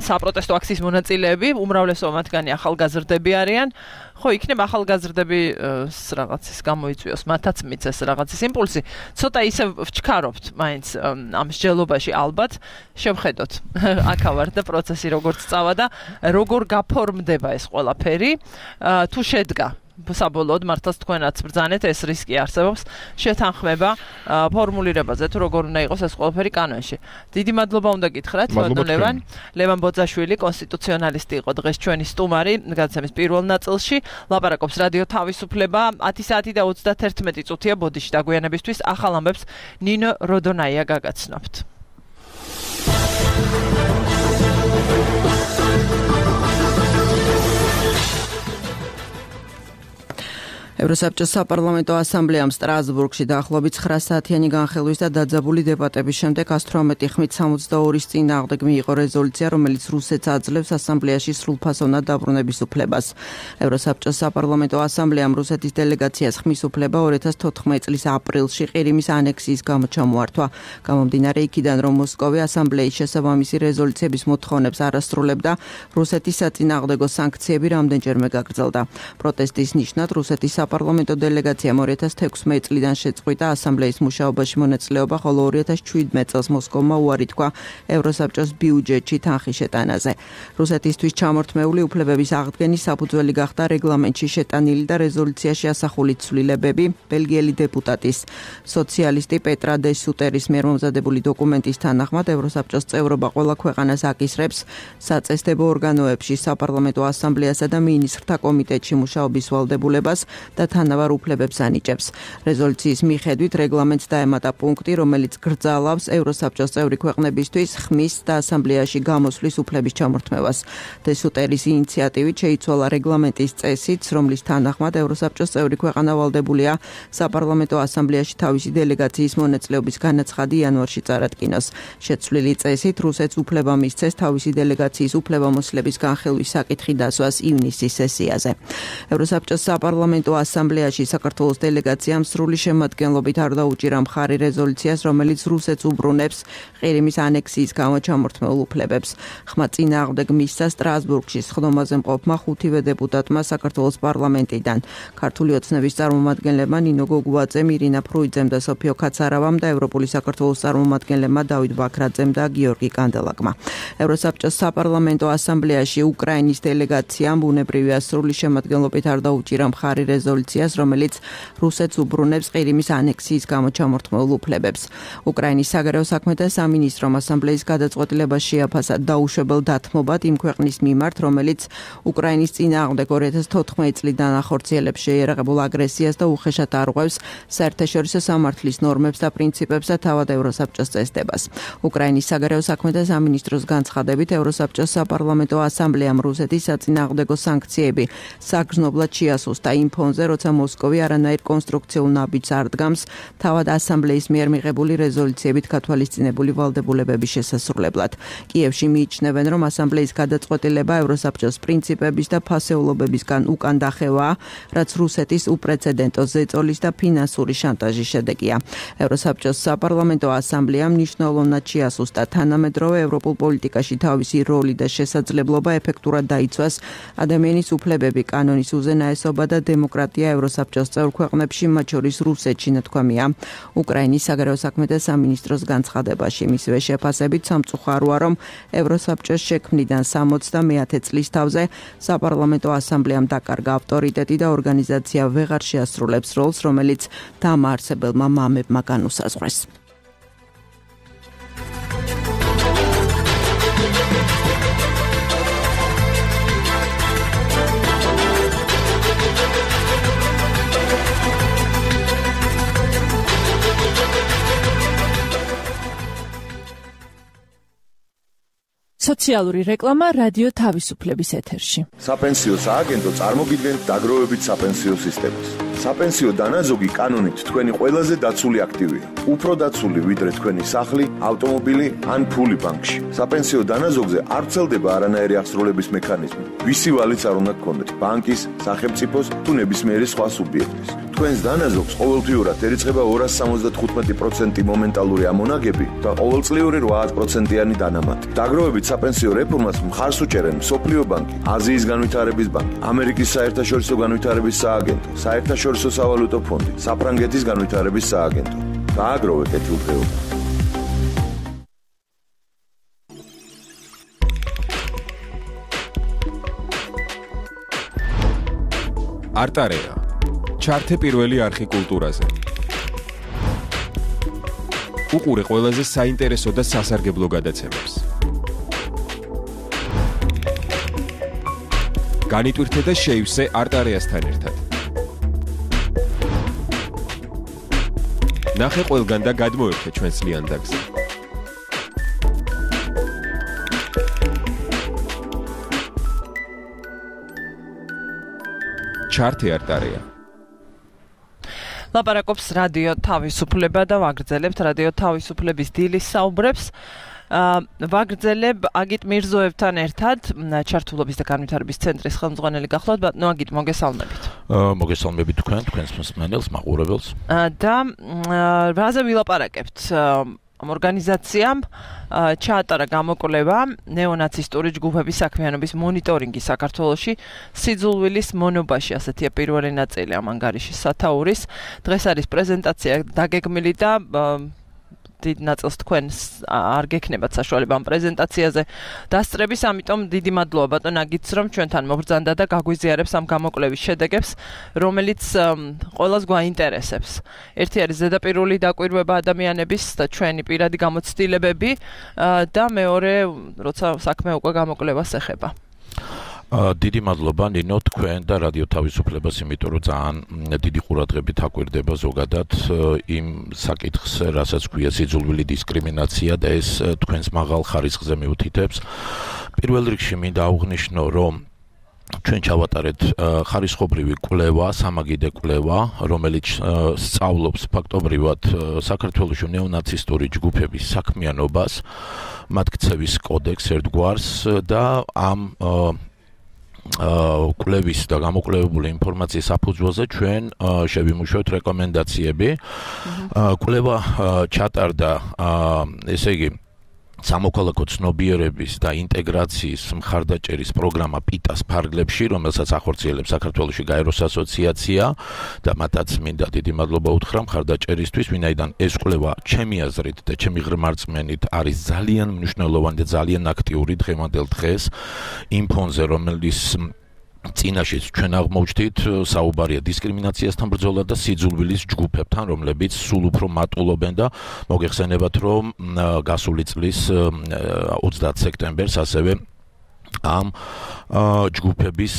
B: საპროტესტო აქციის მონაწილეები, უმრავლესობა მათგანი ახალგაზრდები არიან. ხო, იქნება ახალგაზრდები რაღაცის გამოიწვიოს, მათაც მიცეს რაღაცის იმპულსი. ცოტა ისე ვჩქარობთ მაინც ამ მსჯელობაში ალბათ, შევხედოთ აქავარ და პროცესი როგორც წავა და როგორ გაფორმდება ეს ყველაფერი, თუ შედგა საბოლოოდ მართლაც თქვენაც ბრძანეთ, ეს რისკი არსებობს, შეთანხმება ფორმულირებაზე, თუ როგორ უნდა იყოს ეს ყველაფერი კანონში. დიდი მადლობა უნდა გითხრათ, ლევან, ლევან ბოძაშვილი, კონსტიტუციონალისტი იყო დღეს ჩვენი სტუმარი, გადაცემის პირველ ნაწილში, ლაპარაკობს რადიო თავისუფლება, ათი საათი და ოცდაერთმეტი წუთია ბოდიში დაგვიანებისთვის, ახალ ამბებს ნინო როდონაია გაგაცნობთ. ევროსაბჭოს საპარლამენტო ასამბლეამ სტრასბურგში დაახლოებით ცხრა საათიანი განხილვის და დაძაბული დებატების შემდეგ ათი ათორმეტი ხმით სამოცდაორის წინააღმდეგ მიიღო რეზოლუცია, რომელიც რუსეთს აძლევს ასამბლეაში სრულფასოვნად დაბრუნების უფლებას. ევროსაბჭოს საპარლამენტო ასამბლეამ რუსეთის დელეგაციას ხმის უფლება ორი ათას თოთხმეტი წლის აპრილში ყირიმის ანექსიის გამო ჩამოართვა. გამომდინარე იქიდან, რომ მოსკოვი ასამბლეის შესაბამისი რეზოლუციების მოთხოვნებს არ ასრულებდა, რუსეთის საწინააღმდეგო სანქციები რამდენჯერმე გაგრძელდა. პროტესტის ნიშნად რუსეთის საპარლამენტო დელეგაციამ ორი ათას თექვსმეტი წლიდან შეწყვიტა ასამბლეის მუშაობაში მონაწილეობა, ხოლო ორი ათას შვიდმეტი წელს მოსკოვმა უარი თქვა ევროსაბჭოს ბიუჯეტში თანხის შეტანაზე. რუსეთისთვის ჩამორთმეული უფლებების აღდგენის საფუძველი გახდა რეგლამენტში შეტანილი და რეზოლუციაში ასახული ცვლილებები, ბელგიელი დეპუტატის სოციალისტი პეტრა დე სუტერის მიერ მომზადებული დოკუმენტის თანახმად ევროსაბჭოს წევრობა ყველა ქვეყანას აკისრებს საწესდებო ორგანოებში, საპარლამენტო ასამბლეასა და მინისტრთა კომიტეტში მუშაობის ვალდებულებას და თანაბარ უფლებებს ანიჭებს. რეზოლუციის მიხედვით რეგლამენტს დაემატა პუნქტი, რომელიც გრძალავს ევროსაბჭოს წევრი ქვეყნებისთვის ხმის და ასამბლეაში გამოსვლის უფლების ჩამორთმევას. დე სუტერის ინიციატივით შეიცვალა რეგლამენტის წესიც, რომლის თანახმად ევროსაბჭოს წევრი ქვეყანა ვალდებულია საპარლამენტო ასამბლეაში თავისი დელეგაციის მონაწილეობის განაცხადი იანვარში წარადგინოს. შეცვლილი წესით რუსეთს უფლება მისცეს თავისი დელეგაციის უფლებამოსილების განხილვის საკითხი დასვას ივნისის სესიაზე. ევროსაბჭოს საპარლამენტო ასამბლეაში საქართველოს დელეგაციამ სრული შემადგენლობით არ დაუჭირა მხარი რეზოლუციას, რომელიც რუსეთს უბრუნებს ყირიმის ანექსიის გამო ჩამორთმეულ უფლებებს. ხმა წინააღმდეგ მისცა სტრასბურგში სხდომაზე მყოფმა ხუთივე დეპუტატმა საქართველოს პარლამენტიდან, ქართული ოცნების წარმომადგენლებმა ნინო გოგუაძემ, ირინა ფრუიძემ და სოფიო კაცარავამ და ევროპული საქართველოს წარმომადგენლებმა დავით ბაქრაძემ და გიორგი კანდელაკმა. ევროსაბჭოს საპარლამენტო ასამბლეაში უკრაინის დელეგაციამ ბუნებრივია სრული შემადგენლობით არ დაუჭირა მხარი რეზოლუციას
F: რეზოლუციას, რომელიც რუსეთს უბრუნებს ყირიმის ანექსიის გამო ჩამორთმეულ უფლებებს. უკრაინის საგარეო საქმეთა სამინისტრომ ასამბლეის გადაწყვეტილებას შეაფასა დაუშვებელ დათმობად იმ ქვეყნის მიმართ, რომელიც უკრაინის წინააღმდეგ ორი ათას თოთხმეტი წლიდან ახორციელებს შეიარაღებულ აგრესიას და უხეშად არღვევს საერთაშორისო სამართლის ნორმებს და პრინციპებს და თავად ევროსაბჭოს წესდებას. უკრაინის საგარეო საქმეთა სამინისტროს განცხადებით, ევროსაბჭოს საპარლამენტო ასამბლეამ რუსეთის საწინააღმდეგო სანქციები საგრძნობლად შეასუსტა იმ ფონზე, როცა მოსკოვი არანაირ კონსტრუქციულ ნაბიჯს არ დგამს თავად ასამბლეის მიერ მიღებული რეზოლუციებით გათვალისწინებული ვალდებულებების შესასრულებლად. კიევში მიიჩნევენ, რომ ასამბლეის გადაწყვეტილება ევროსაბჭოს პრინციპების და ფასეულობებისგან უკან დახევაა, რაც რუსეთის უპრეცედენტო ზეწოლის და ფინანსური შანტაჟის შედეგია. ევროსაბჭოს საპარლამენტო ასამბლეამ მნიშვნელოვნად შეასუსტა თანამედროვე ევროპულ პოლიტიკაში თავისი როლი და შესაძლებლობა ეფექტურად დაიცვას ადამიანის უფლებები, კანონის უზენაესობა და დემოკრატია ევროსაბჭოს წევრ ქვეყნებში, მათ შორის რუსეთში, ნათქვამია. უკრაინის საგარეო საქმეთა სამინისტროს განცხადებაში მისივე შეფასებით სამწუხაროა, რომ ევროსაბჭოს შექმნიდან სამოცდამეათე წლის თავზე საპარლამენტო ასამბლეამ დაკარგა ავტორიტეტი და ორგანიზაცია ვეღარ შეასრულებს როლს, რომელიც დამაარსებელმა მამებმა განუსაზღვრეს.
B: სოციალური რეკლამა რადიო თავისუფლების ეთერში.
G: საპენსიო სააგენტო წარმოგიდგენთ დაგროვებით საპენსიო სისტემას. საპენსიო დანაზოგი კანონით თქვენი ყველაზე დაცული აქტივია. უფრო დაცული ვიდრე თქვენი სახლი, ავტომობილი ან ფული ბანკში. საპენსიო დანაზოგზე არ ვრცელდება არანაირი აღსრულების მექანიზმი. ვისი ვალიც არ უნდა გქონდეთ, ბანკის, სახელმწიფოს თუ ნებისმიერი სხვა სუბიექტის. თქვენს დანაზოგს ყოველთვიურად ერიცხება ორასი სამოცდათხუთმეტი პროცენტი მომენტალური ამონაგები და ყოველწლიური რვა პროცენტიანი დანამატი. დაგროვებით საპენსიო რეფორმას მხარს უჭერენ მსოფლიო ბანკი, აზიის განვითარების ბანკი, ამერიკის საერთაშორისო განვითარების სააგენტო, საერთაშორისო სავალუტო ფონდი, საფრანგეთის განვითარების სააგენტო. დააგროვე კეთილდღეობა.
H: არტარეა. ჩართე პირველი არხი კულტურაზე. უყურე ყველაზე საინტერესო და სასარგებლო გადაცემებს. განიტვირთე და შეივსე არტარეასთან ერთად. ნახე ყველგან და გადმოერთე ჩვენს ლიანდაგზე. ჩართე არტარეა.
B: ლაპარაკობს რადიო თავისუფლება და ვაგრძელებთ რადიო თავისუფლების დილის საუბრებს. ვაგრძელებ აგით მირზოევთან ერთად, ჩართულობის და განვითარების ცენტრის ხელმძღვანელი გახლავთ, ბატონო აგით, მოგესალმებით.
I: მოგესალმებით თქვენ, თქვენს მსმენელს, მაყურებელს.
B: და რაზე ვილაპარაკებთ? ამ ორგანიზაციამ ჩაატარა გამოკვლევა ნეონაცისტური ჯგუფების საქმიანობის მონიტორინგი საქართველოში სიძულვილის მონობაში, ასეთია პირველი ნაწილი ამ ანგარიშის სათაურის. დღეს არის პრეზენტაცია დაგეგმილი და დიდ ნაწილს თქვენ არ გექნებათ საშუალება ამ პრეზენტაციაზე დასწრების, ამიტომ დიდი მადლობა ბატონ აგითს, რომ ჩვენთან მობრძანდა და გაგვიზიარებს ამ გამოკვლევის შედეგებს, რომელიც ყველას გვაინტერესებს. ერთი არის ზედაპირული დაკვირვება ადამიანების და ჩვენი პირადი გამოცდილებები და მეორე, როცა საქმე უკვე გამოკვლევას ეხება.
I: დიდი მადლობა ნინო, თქვენ და რადიო თავისუფლებას, იმიტომ რომ ძალიან დიდი ყურადღებით აკვირდება ზოგადად იმ საკითხს, რასაც ქვია სიძულვილი დისკრიმინაცია და ეს თქვენს მაღალ ხარისხზე მიუთითებს. პირველ რიგში მინდა აღვნიშნო, რომ ჩვენ ჩავატარეთ ხარისხობრივი კვლევა, სამაგიდე კვლევა, რომელიც სწავლობს ფაქტობრივად საქართველოში ნეონაცისტური ჯგუფების საქმიანობას, მათ ქცევის კოდექსს ერთგვარს და ამ კვლევის და გამოკვლევებული ინფორმაციის საფუძველზე ჩვენ შევიმუშავეთ რეკომენდაციები. კვლევა ჩატარდა, ესე იგი, სამოქალაქო ცნობიერების და ინტეგრაციის მხარდაჭერის პროგრამა პიტას ფარგლებში, რომელსაც ახორციელებს საქართველოში გაეროს ასოციაცია და მათაც მინდა დიდი მადლობა უთხრა მხარდაჭერისთვის, ვინაიდან ეს კვლევა ჩემი აზრით და ჩემი ღრმარწმენით არის ძალიან მნიშვნელოვანი და ძალიან აქტიური დღევანდელ დღეს იმ ფონზე, რომელიც წინაშეც ჩვენ აღმოჩნდით საუბარია დისკრიმინაციასთან ბრძოლა და სიძულვილის ჯგუფებთან, რომლებიც სულ უფრო მატულობენ და მოგეხსენებათ, რომ გასული წლის ოცდაათი სექტემბერს ასევე ამ ჯგუფების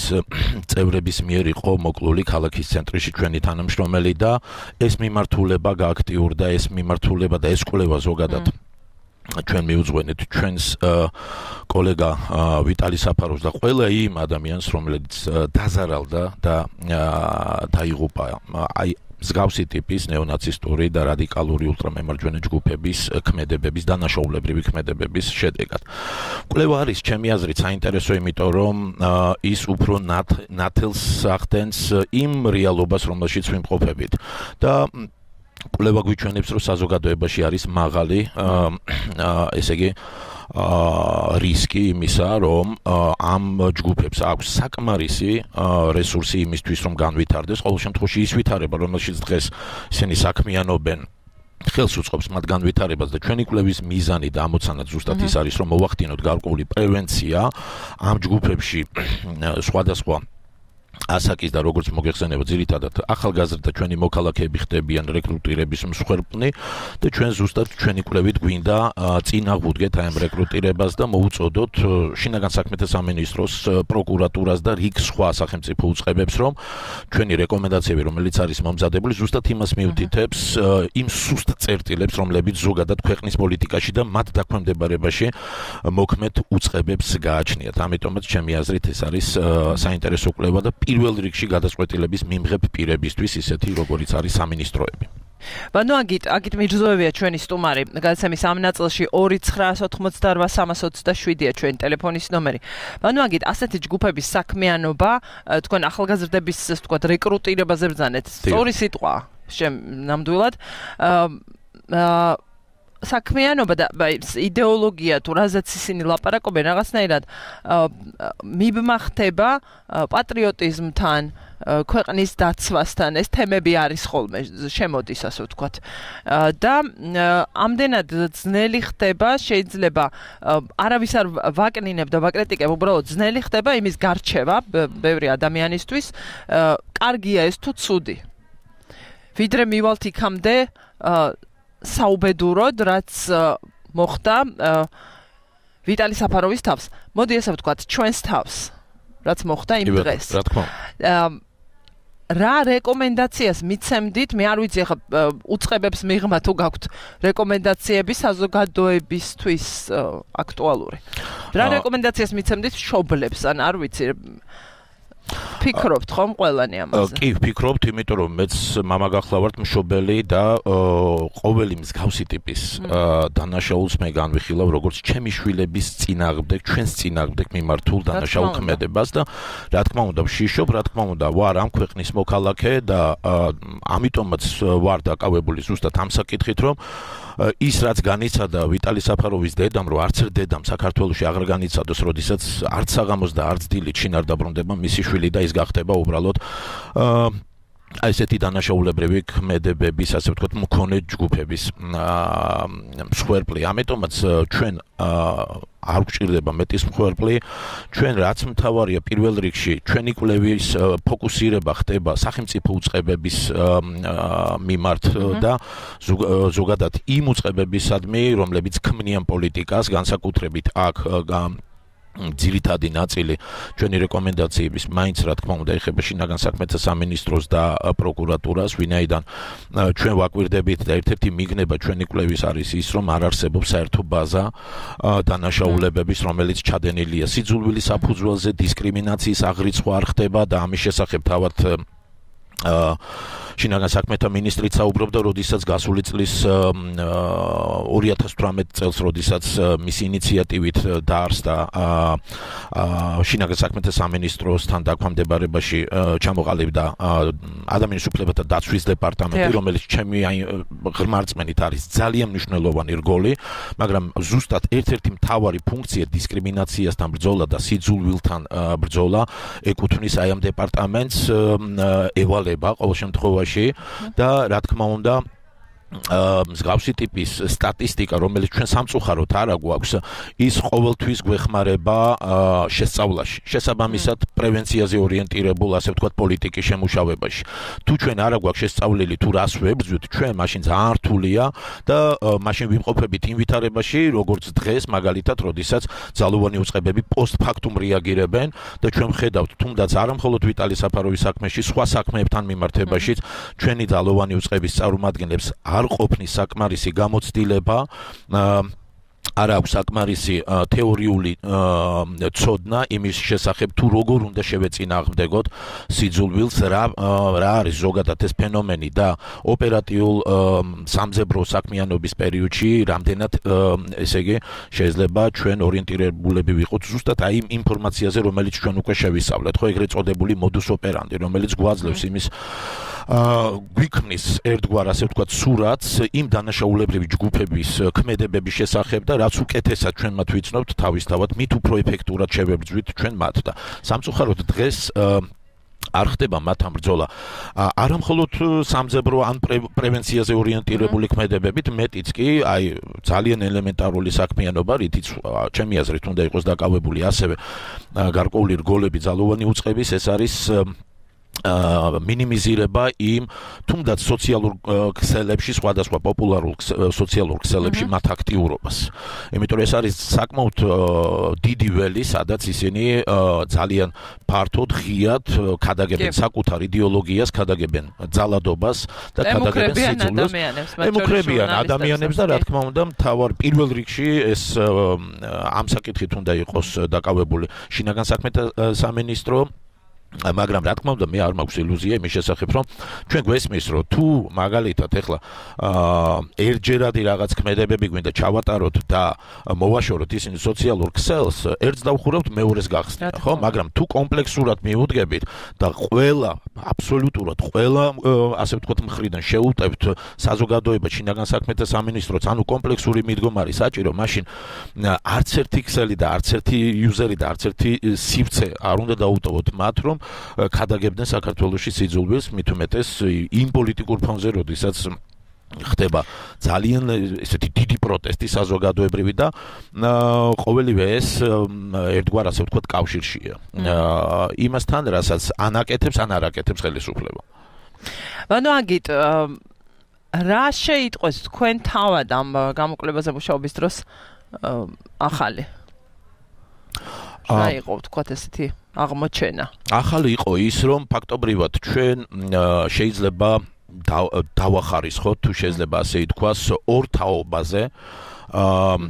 I: წევრების მიერ იყო მოკლული ქალაქის ცენტრში ჩვენი თანამშრომელი და ეს მიმართულება გააქტიურდა, ეს მიმართულება და ეს კვლევა ზოგადად ჩვენ მიუძღვენეთ ჩვენს კოლეგა ვიტალი საფაროვს და ყველა იმ ადამიანს, რომელიც დაზარალდა და დაიღუპა აი მსგავსი ტიპის ნეონაცისტური და რადიკალური ულტრამემარჯვენე ჯგუფების ქმედებების, დანაშაულებრივი ქმედებების შედეგად. კვლევა არის ჩემი აზრით საინტერესო, იმიტომ რომ ის უფრო ნათელს ახდენს იმ რეალობას, რომელშიც ვიმყოფებით და კვლევა გვიჩვენებს, რომ საზოგადოებაში არის მაღალი, ესე იგი, რისკი იმისა, რომ ამ ჯგუფებს აქვს საკმარისი რესურსი იმისთვის, რომ განვითარდეს, ყოველ შემთხვევაში ის ვითარება, რომელშიც დღეს ისინი საქმიანობენ, ხელს უწყობს მათ განვითარებას და ჩვენი კვლევის მიზანი და ამოცანა ზუსტად ის არის, რომ მოვახდინოთ გარკვეული პრევენცია ამ ჯგუფებში სხვადასხვა ასაკის და როგორც მოგეხსენება ძირითადად ახალგაზრდა ჩვენი მოქალაქეები ხდებიან რეკრუტირების მსხვერპლნი და ჩვენ ზუსტად ჩვენი კვლევით გვინდა წინააღმდეგეთ აი ამ რეკრუტირებას და მოუწოდოთ შინაგან საქმეთა სამინისტროს, პროკურატურას და რიგ სხვა სახელმწიფო უწყებებს, რომ ჩვენი რეკომენდაციები, რომელიც არის მომზადებული, ზუსტად იმას მიუთითებს, იმ სუსტ წერტილებს, რომლებიც ზოგადად ქვეყნის პოლიტიკაში და მათ დაქვემდებარებაში მოქმედ უწყებებს გააჩნიათ. ამიტომაც ჩემი აზრით ეს არის საინტერესო კვლევა და პირველ რიგში გადაწყვეტილების მიმღებ პირებისთვის, ისეთი როგორიც არის სამინისტროები.
B: ბანო აგით, აგით მიჯზოვებია ჩვენი სტუმარი. გადაცემის ამ ნაწილში ორი ცხრაას ოცდაოთხმოცდარბა სამას ოცდაშვიდია ჩვენი ტელეფონის ნომერი. ბანო აგით, ასეთი ჯგუფების საქმიანობა, თქვენ ახალგაზრდების, ასე ვთქვათ, რეკრუტირებაზე ბრძანეთ. სწორი სიტყვა ნამდვილად. აა საქმიანობა და იდეოლოგია თუ რაზეც ისინი ლაპარაკობენ რაღაცნაირად მიბმა ხდება პატრიოტიზმთან, ქვეყნის დაცვასთან, ეს თემები არის ხოლმე შემოდის, ასე ვთქვათ. და ამდენად ძნელი ხდება, შეიძლება არავის არ ვაკნინებ და ვაკრიტიკებ, უბრალოდ ძნელი ხდება იმის გარჩევა ბევრი ადამიანისთვის, კარგია ეს თუ ცუდი. ვიდრე მივალთ იქამდე საუბედუროდ, რაც მოხდა ვიტალი საფაროვის თავს. მოდი ასე ვთქვათ, ჩვენს თავს, რაც მოხდა იმ დღეს.
I: რა თქმა უნდა.
B: რა რეკომენდაციას მიცემდით? მე არ ვიცი, ახლა უწყებებს მიღმა თუ გაქვთ რეკომენდაციები საზოგადოებისთვის აქტუალური. რა რეკომენდაციას მიცემდით მშობლებს? ან არ ვიცი, ფიქრობთ ხომ ყველანი ამაზე?
I: კი, ვფიქრობთ, იმიტომ რომ მეც მამა გახლავართ მშობელი და ყოველი მსგავსი ტიპის დანაშაულს მე განვიხილავ როგორც ჩემი შვილების წინააღმდეგ, ჩვენს წინააღმდეგ მიმართულ დანაშაულ ქმედებას და რა თქმა უნდა ვშიშობ, რა თქმა უნდა ვარ ამ ქვეყნის მოქალაქე და ამიტომაც ვარ დაკავებული ზუსტად ამ საკითხით, რომ ის რაც განიცადა ვიტალი საფაროვის დედამ, რომ არც ერთ დედამ საქართველოში აღარ განიცადოს, როდესაც არც საღამოს და არც დილით შინ არ დაბრუნდება მისი შვილი და ის გახდება უბრალოდ აი ესეთი დანაშაულებრივი ქმედებების, ასე ვთქვათ, მქონე ჯგუფების მსხვერპლი. ამიტომაც ჩვენ არ გვჭირდება მეტის მსხვერპლი, ჩვენ რაც მთავარია პირველ რიგში ჩვენი კვლევის ფოკუსირება ხდება სახელმწიფო უწყებების მიმართ და ზოგადად იმ უწყებებისადმი, რომლებიც ქმნიან პოლიტიკას, განსაკუთრებით აქ ძირითადი ნაწილი ჩვენი რეკომენდაციების მაინც რა თქმა უნდა ეხება შინაგან საქმეთა სამინისტროს და პროკურატურას, ვინაიდან ჩვენ ვაკვირდებით და ერთ-ერთი მიგნება ჩვენი კვლევის არის ის, რომ არ არსებობს საერთო ბაზა დანაშაულებების, რომელიც ჩადენილია სიძულვილის საფუძველზე, დისკრიმინაციის აღრიცხვა არ ხდება და ამის შესახებ თავად შინაგან საქმეთა მინისტრიც საუბრობდა, როდესაც გასული წლის ორი ათას თვრამეტი წელს, როდესაც მისი ინიციატივით დაარსდა შინაგან საქმეთა სამინისტროსთან დაქვემდებარებაში ჩამოყალიბდა ადამიანის უფლებათა დაცვის დეპარტამენტი, რომელიც ჩემი ღრმა რწმენით არის ძალიან მნიშვნელოვანი რგოლი, მაგრამ ზუსტად ერთ-ერთი მთავარი ფუნქცია დისკრიმინაციასთან ბრძოლა და სიძულვილთან ბრძოლა ეკუთვნის აი ამ დეპარტამენტს, ევალება ყოველ შემთხვევაში და რა თქმა უნდა მსგავსი ტიპის სტატისტიკა, რომელიც ჩვენ სამწუხაროდ არ აგვაქვს, ის ყოველთვის გვეხმარება შესწავლაში. შესაბამისად, პრევენციაზე ორიენტირებულ, ასე ვთქვათ, პოლიტიკის შემუშავებაში. თუ ჩვენ არ აგვაქვს შესწავლილი თუ რას ვებრძვით, ჩვენ მაშინ ძალიან რთულია და მაშინ ვიმყოფებით იმ ვითარებაში, როგორც დღეს, მაგალითად, როდესაც ძალოვანი უწყებები პოსტფაქტუმ რეაგირებენ და ჩვენ ვხედავთ, თუნდაც არა მხოლოდ ვიტალი საფაროვის საქმეში, სხვა საქმეებთან მიმართებაშიც ჩვენი ძალოვანი უწყების წარმომადგენლებს არ ყოფნის საკმარისი გამოცდილება, არ აქვს საკმარისი თეორიული ცოდნა იმის შესახებ, თუ როგორ უნდა შევეწინააღმდეგოთ სიძულვილს, რა რა არის ზოგადად ეს ფენომენი და ოპერატიულ სამძებრო საქმიანობის პერიოდში რამდენად, ესე იგი, შეიძლება ჩვენ ორიენტირებულები ვიყოთ ზუსტად აი იმ ინფორმაციაზე, რომელიც ჩვენ უკვე შევისწავლეთ, ხო, ეგრეთ წოდებული modus operandi, რომელიც გვაძლევს იმის გვიქმნის ერთგვარ, ასე ვთქვათ, სურათს იმ დანაშაულებრივი ჯგუფების ქმედებების შესახებ და რაც უკეთესად ჩვენ მათ ვიცნობთ თავისთავად, მით უფრო ეფექტურად შევებრძვით ჩვენ მათ და სამწუხაროდ დღეს არ ხდება მათ ამ ბრძოლა. არა მხოლოდ სამძებრო ან პრევენციაზე ორიენტირებული ქმედებებით, მეტიც კი აი ძალიან ელემენტარული საქმიანობა, რითიც ჩემი აზრით უნდა იყოს დაკავებული ასევე გარკვეული რგოლები ძალოვანი უწყების, ეს არის მინიმიზირება იმ თუნდაც სოციალურ ქსელებში, სხვადასხვა პოპულარულ სოციალურ ქსელებში მათ აქტიურობას. იმიტომ რომ ეს არის საკმაოდ დიდი ველი, სადაც ისინი ძალიან ფართოდ, ღიად ქადაგებენ საკუთარ იდეოლოგიას, ქადაგებენ ძალადობას და ქადაგებენ სიძულვილს. ემუქრებიან ადამიანებს და რა თქმა უნდა, მთავარ პირველ რიგში ეს ამ საკითხით უნდა იყოს დაკავებული შინაგან საქმეთა სამინისტრო. მაგრამ რა თქმა უნდა მე არ მაქვს ილუზია იმის შესახებ, რომ ჩვენ გვესმის, რომ თუ მაგალითად ეხლა ერთჯერადი რაღაც ქმედებები გვინდა ჩავატაროთ და მოვაშოროთ ისინი სოციალურ ქსელს, ერთს დავხურავთ, მეორეს გახსნით, ხო? მაგრამ თუ კომპლექსურად მიუდგებით და ყველა, აბსოლუტურად ყველა, ასე ვთქვათ, მხრიდან შეუტევთ საზოგადოება, შინაგან საქმეთა სამინისტროც, ანუ კომპლექსური მიდგომარი საჭირო, მაშინ არც ერთი ქსელი და არც ერთი იუზერი და არც ერთი სივრცე არ უნდა დაუტოვოთ მათ, რომ ქადაგებდნენ საქართველოში სიძულვილს, მით უმეტეს იმ პოლიტიკურ ფონზე, როდესაც ხდება ძალიან ესეთი დიდი პროტესტი საზოგადოებრივი და ყოველივე ეს ერთგვარ, ასე ვთქვათ, კავშირშია. იმასთან, რასაც ანაკეთებს, ან არაკეთებს ხელისუფლება.
B: ანუ აგით რა შეიტყვეს თქვენ თავად ამ გამოკვლევაზე მუშაობის დროს ახალი? რა იყო, ვთქვათ, ესეთი აღმოჩენა? ახალი
I: იყო ის, რომ ფაქტობრივად ჩვენ შეიძლება დავახარისხოთ, თუ შეიძლება ასე ითქვას, ორ თაობაზე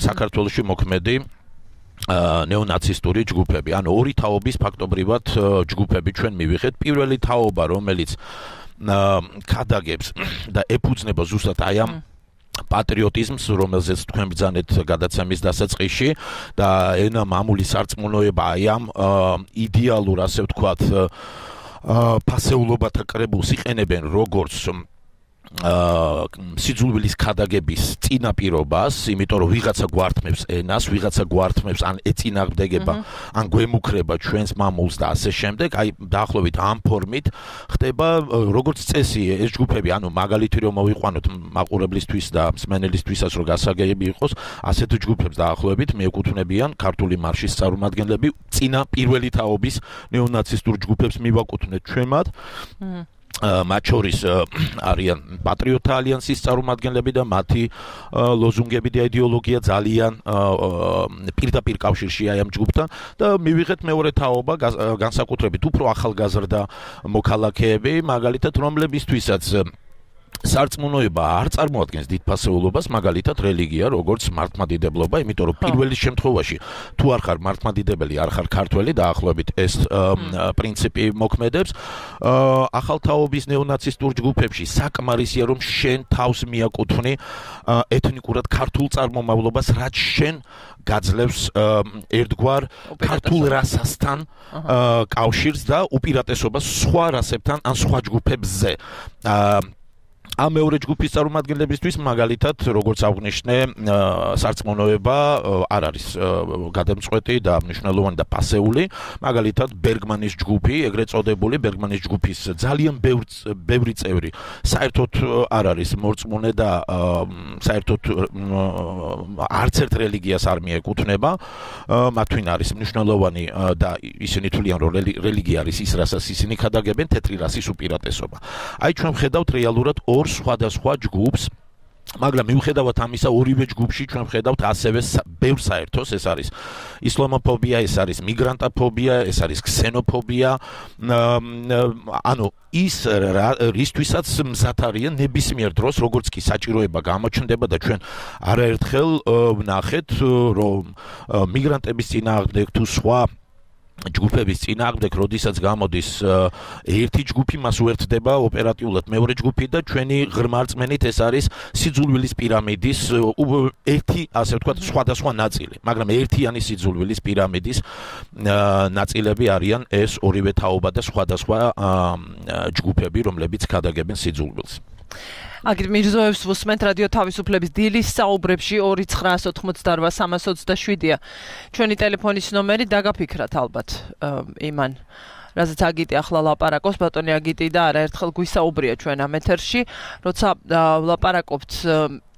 I: საქართველოში მოქმედი ნეონაცისტური ჯგუფები. ანუ ორი თაობის ფაქტობრივად ჯგუფები ჩვენ მივიღეთ. პირველი თაობა, რომელიც ქადაგებს და ეფუძნება ზუსტად აი ამ პატრიოტიზმს, რომელზეც თქვენ ბრძანეთ გადაცემის დასაწყისში და ენა მამული სარწმუნოება აი ამ იდეალურ, ასე ვთქვათ, ფასეულობათა კრებულს იყენებენ როგორც სიძულვილის ქადაგების წინაპირობას, იმიტომ რომ ვიღაცა გვართმევს ენას, ვიღაცა გვართმევს ან ეწინააღმდეგება, ან გვემუქრება ჩვენს მამულს და ასე შემდეგ, აი დაახლოებით ამ ფორმით ხდება როგორც წესი ეს ჯგუფები, ანუ მაგალითი რომ მოვიყვანოთ მაყურებლისთვის და მსმენელისთვისაც რომ გასაგები იყოს, ასეთ ჯგუფებს დაახლოებით მიეკუთვნებიან ქართული მარშის წარმომადგენლები, წინა პირველი თაობის ნეონაცისტურ ჯგუფებს მივაკუთვნეთ ჩვენ მათ. მათ შორის არიან პატრიოტთა ალიანსის წარმომადგენლები და მათი ლოზუნგები და იდეოლოგია ძალიან პირდაპირ კავშირშია ამ ჯგუფთან და მივიღეთ მეორე თაობა, განსაკუთრებით უფრო ახალგაზრდა მოქალაქეები, მაგალითად, რომლებისთვისაც სარწმუნოება არ წარმოადგენს დიდ ფასეულობას, მაგალითად რელიგია, როგორც მართლმადიდებლობა, იმიტომ რომ პირველი შემთხვევაში თუ არ ხარ მართლმადიდებელი, არ ხარ ქართველი, დაახლოებით ეს პრინციპი მოქმედებს. ახალ თაობის ნეონაცისტურ ჯგუფებში საკმარისია, რომ შენ თავს მიაკუთვნი ეთნიკურად ქართულ წარმომავლობას, რაც შენ გაძლევს ერთგვარ ქართულ რასასთან კავშირს და უპირატესობას სხვა რასებთან ან სხვა ჯგუფებზე. ამ მეორე ჯგუფის წარმომადგენლებისთვის მაგალითად როგორც აღნიშნე სარწმუნოება არ არის გადამწყვეტი და მნიშვნელოვანი და პასეული მაგალითად ბერგმანის ჯგუფი ეგრეთ წოდებული ბერგმანის ჯგუფის ძალიან ბევრი წევრი საერთოდ არ არის მორწმუნე და საერთოდ არც ერთ რელიგიას არ მიეკუთვნება მათთვის არის მნიშვნელოვანი და ისინი თვლიან რომ რელიგია არის ის რასაც ისინი ქადაგებენ თეთრი რასის უპირატესობა აი ჩვენ ვხედავთ რეალურად ორ სხვადასხვა ჯგუფს მაგრამ მიუხედავად ამისა ორივე ჯგუფში ჩვენ ვხედავთ ასევე ბევრ საერთოს ეს არის ისლამოფობია ეს არის მიგრანტოფობია ეს არის ქსენოფობია ანუ ის რისთვისაც მზად არიან ნებისმიერ დროს როგორც კი საჭიროება გამოჩნდება და ჩვენ არაერთხელ ვნახეთ რომ მიგრანტების წინააღმდეგ თუ სხვა ჯგუფების წინააღმდეგ, როდესაც გამოდის ერთი ჯგუფი, მას უერთდება ოპერატიულად მეორე ჯგუფი და ჩვენი ღრმა რწმენით ეს არის სიძულვილის პირამიდის ერთი, ასე ვთქვათ, სხვადასხვა ნაწილი, მაგრამ ერთიანი სიძულვილის პირამიდის ნაწილები არიან ეს ორივე თაობა და სხვადასხვა ჯგუფები, რომლებიც ქადაგებენ სიძულვილს.
B: აგერ მირზოევს ვუსმენთ რადიო თავისუფლების დილის საუბრებში ორი ცხრაას ოთხმოცდაორ სამას ოცდაშვიდია ჩვენი ტელეფონის ნომერი დაგაფიქრათ ალბათ იმან რასაც აგიტი ახლა ლაპარაკობს ბატონი აგიტი და არაერთხელ გვისაუბრია ჩვენ ამ ეთერში როცა ლაპარაკობთ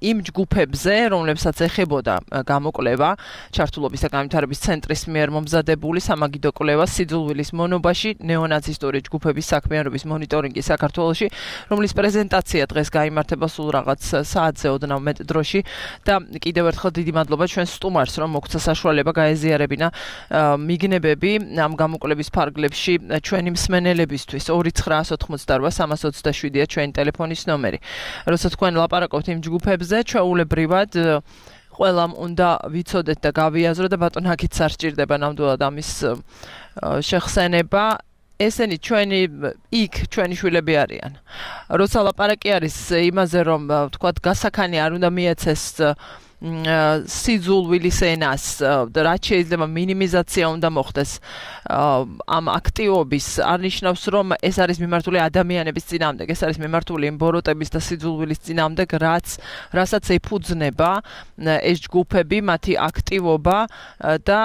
B: იმ ჯგუფებზე, რომლებსაც ეხებოდა გამოკვლევა ჩართულობის და განვითარების ცენტრის მიერ მომზადებული სამაგიდო კვლევა სიძულვილის მონობაში ნეონაცისტური ჯგუფების საქმიანობის მონიტორინგი საქართველოში, რომლის პრეზენტაცია დღეს გაიმართება სულ რაღაც საათზე ოდნავ მეტ დროში და კიდევ ერთხელ დიდი მადლობა ჩვენ სტუმარს, რომ მოგცა საშუალება გაეზიარებინა მიგნებები ამ გამოკვლევის ფარგლებში ჩვენი მსმენელებისთვის ორი ცხრაას ოთხმოცდაორ სამას ოცდაშვიდია ჩვენი ტელეფონის ნომერი. როცა თქვენ ლაპარაკობთ იმ ჯგუფებზე ჩვეულებრივად ყველამ უნდა ვიცოდეთ და გავიაზრო და ბატონ აქიც არ სჭირდება ნამდვილად ამის შეხსენება ესენი ჩვენი იქ ჩვენი შვილები არიან როცა ლაპარაკი არის იმაზე რომ თქვათ გასაქანი არ უნდა მიეცეს სიძულვილის ენას და რაც შეიძლება მინიმიზაცია უნდა მოხდეს ამ აქტივობის არნიშნავს რომ ეს არის მიმართული ადამიანების წინააღმდეგ ეს არის მიმართული იმ ბოროტების და სიძულვილის წინააღმდეგ რაც რასაც ეფუძნება ეს ჯგუფები მათი აქტივობა და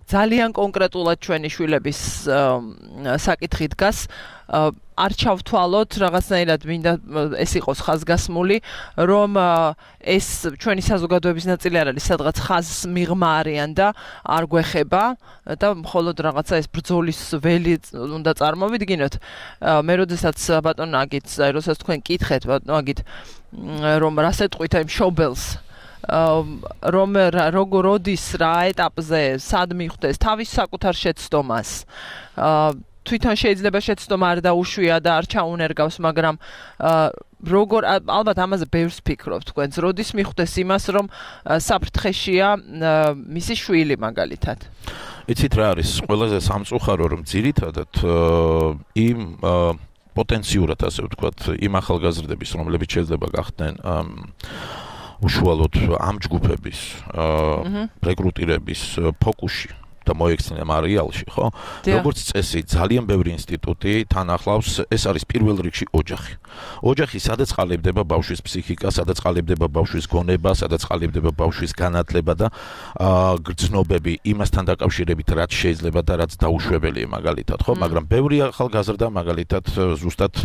B: ძალიან კონკრეტულად ჩვენი შვილების საკითხი დგას არ ჩავთვალოთ რაღაცნაირად მინდა ეს იყოს ხაზგასმული რომ ეს ჩვენი საზოგადოების ნაწილი არ არის სადღაც ხაზს მიღმა არიან და არ გვეხება და მხოლოდ რაღაცა ეს ბრძოლის ველი უნდა წარმოვიდგინოთ მე როდესაც ბატონ აგით როდესაც თქვენ კითხეთ ბატონ აგით რომ რას ეტყვით იმ შობელს რომ როგორ როდის რა ეტაპზე სად მიხვდეს თავის საკუთარ შეცდომას თვითონ შეიძლება შეცდომა არ დაუშვია და არ ჩაუნერგავს, მაგრამ როგორ ალბათ ამაზე ბევრს ფიქრობთ თქვენ, როდის მიხვდეს იმას, რომ საფრთხეშია მისი შვილი მაგალითად.
I: იცით რა არის, ყველაზე სამწუხარო რომ ძირითადად იმ პოტენციურად ასე ვთქვათ, იმ ახალგაზრდების, რომლებიც შეიძლება გახდნენ უშუალოდ ამ ჯგუფების რეკრუტირების ფოკუსში და მოექცნენ მარიალში, ხო? როგორც წესი, ძალიან ბევრი ინსტიტუტი თან ახლავს, ეს არის პირველ რიგში ოჯახი. ოჯახი სადაც ყალიბდება ბავშვის ფსიქიკა, სადაც ყალიბდება ბავშვის გონება, სადაც ყალიბდება ბავშვის განათლება და გრძნობები იმასთან დაკავშირებით, რაც შეიძლება და რაც დაუშვებელია მაგალითად, ხო? მაგრამ ბევრი ახალგაზრდა მაგალითად ზუსტად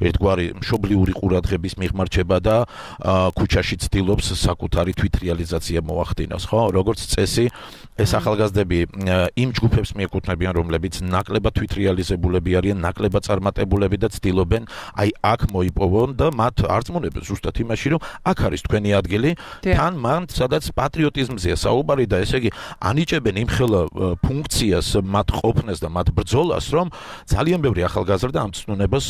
I: ერთგვარი მშობლიური ყურადღების მიღმარჩება და ქუჩაში ცდილობს საკუთარი თვითრეალიზაცია მოახდინოს, ხო? როგორც წესი, ეს ახალგაზრდები იმ ჯგუფებს მიეკუთვნებიან, რომლებიც ნაკლებად თვითრეალიზებულები არიან, ნაკლებად წარმატებულები და ცდილობენ აი აქ მოიპოვონ და მათ არწმუნებენ ზუსტად იმაში, რომ აქ არის თქვენი ადგილი, თან მან სადაც პატრიოტიზმზეა საუბარი და ესე იგი ანიჭებენ იმ ხელა ფუნქციას, მათ ყოფნას და მათ ბრძოლას, რომ ძალიან ბევრი ახალგაზრდა ამ ცნუნებას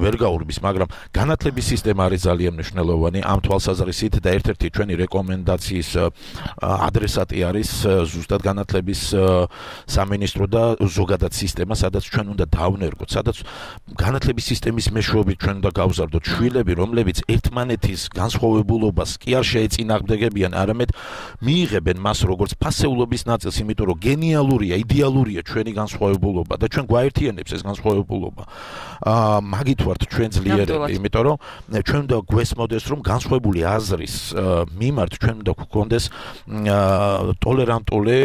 I: ვერ გაურბის, მაგრამ განათლების სისტემა არის ძალიან მნიშვნელოვანი ამ თვალსაზრისით და ერთ-ერთი ჩვენი რეკომენდაციის ადრესატი არის ზუსტად განათლების სამინისტრო და ზოგადად სისტემა, სადაც ჩვენ უნდა დავნერგოთ, სადაც განათლების სისტემის მეშვეობით ჩვენ უნდა გავზარდოთ შვილები, რომლებიც ერთმანეთის განსხვავებულობას კი არ შეეწინააღმდეგებიან, არამედ მიიღებენ მას როგორც ფასეულობის ნაწილს, იმიტომ რომ გენიალურია, იდეალურია ჩვენი განსხვავებულობა და ჩვენ გვაერთიანებს ეს განსხვავებულობა. აა მაგით ვართ ჩვენ ძლიერები, იმიტომ რომ ჩვენ უნდა გვესმოდეს, რომ განსხვავებული აზრის მიმართ ჩვენ უნდა გვქონდეს ტოლერანტული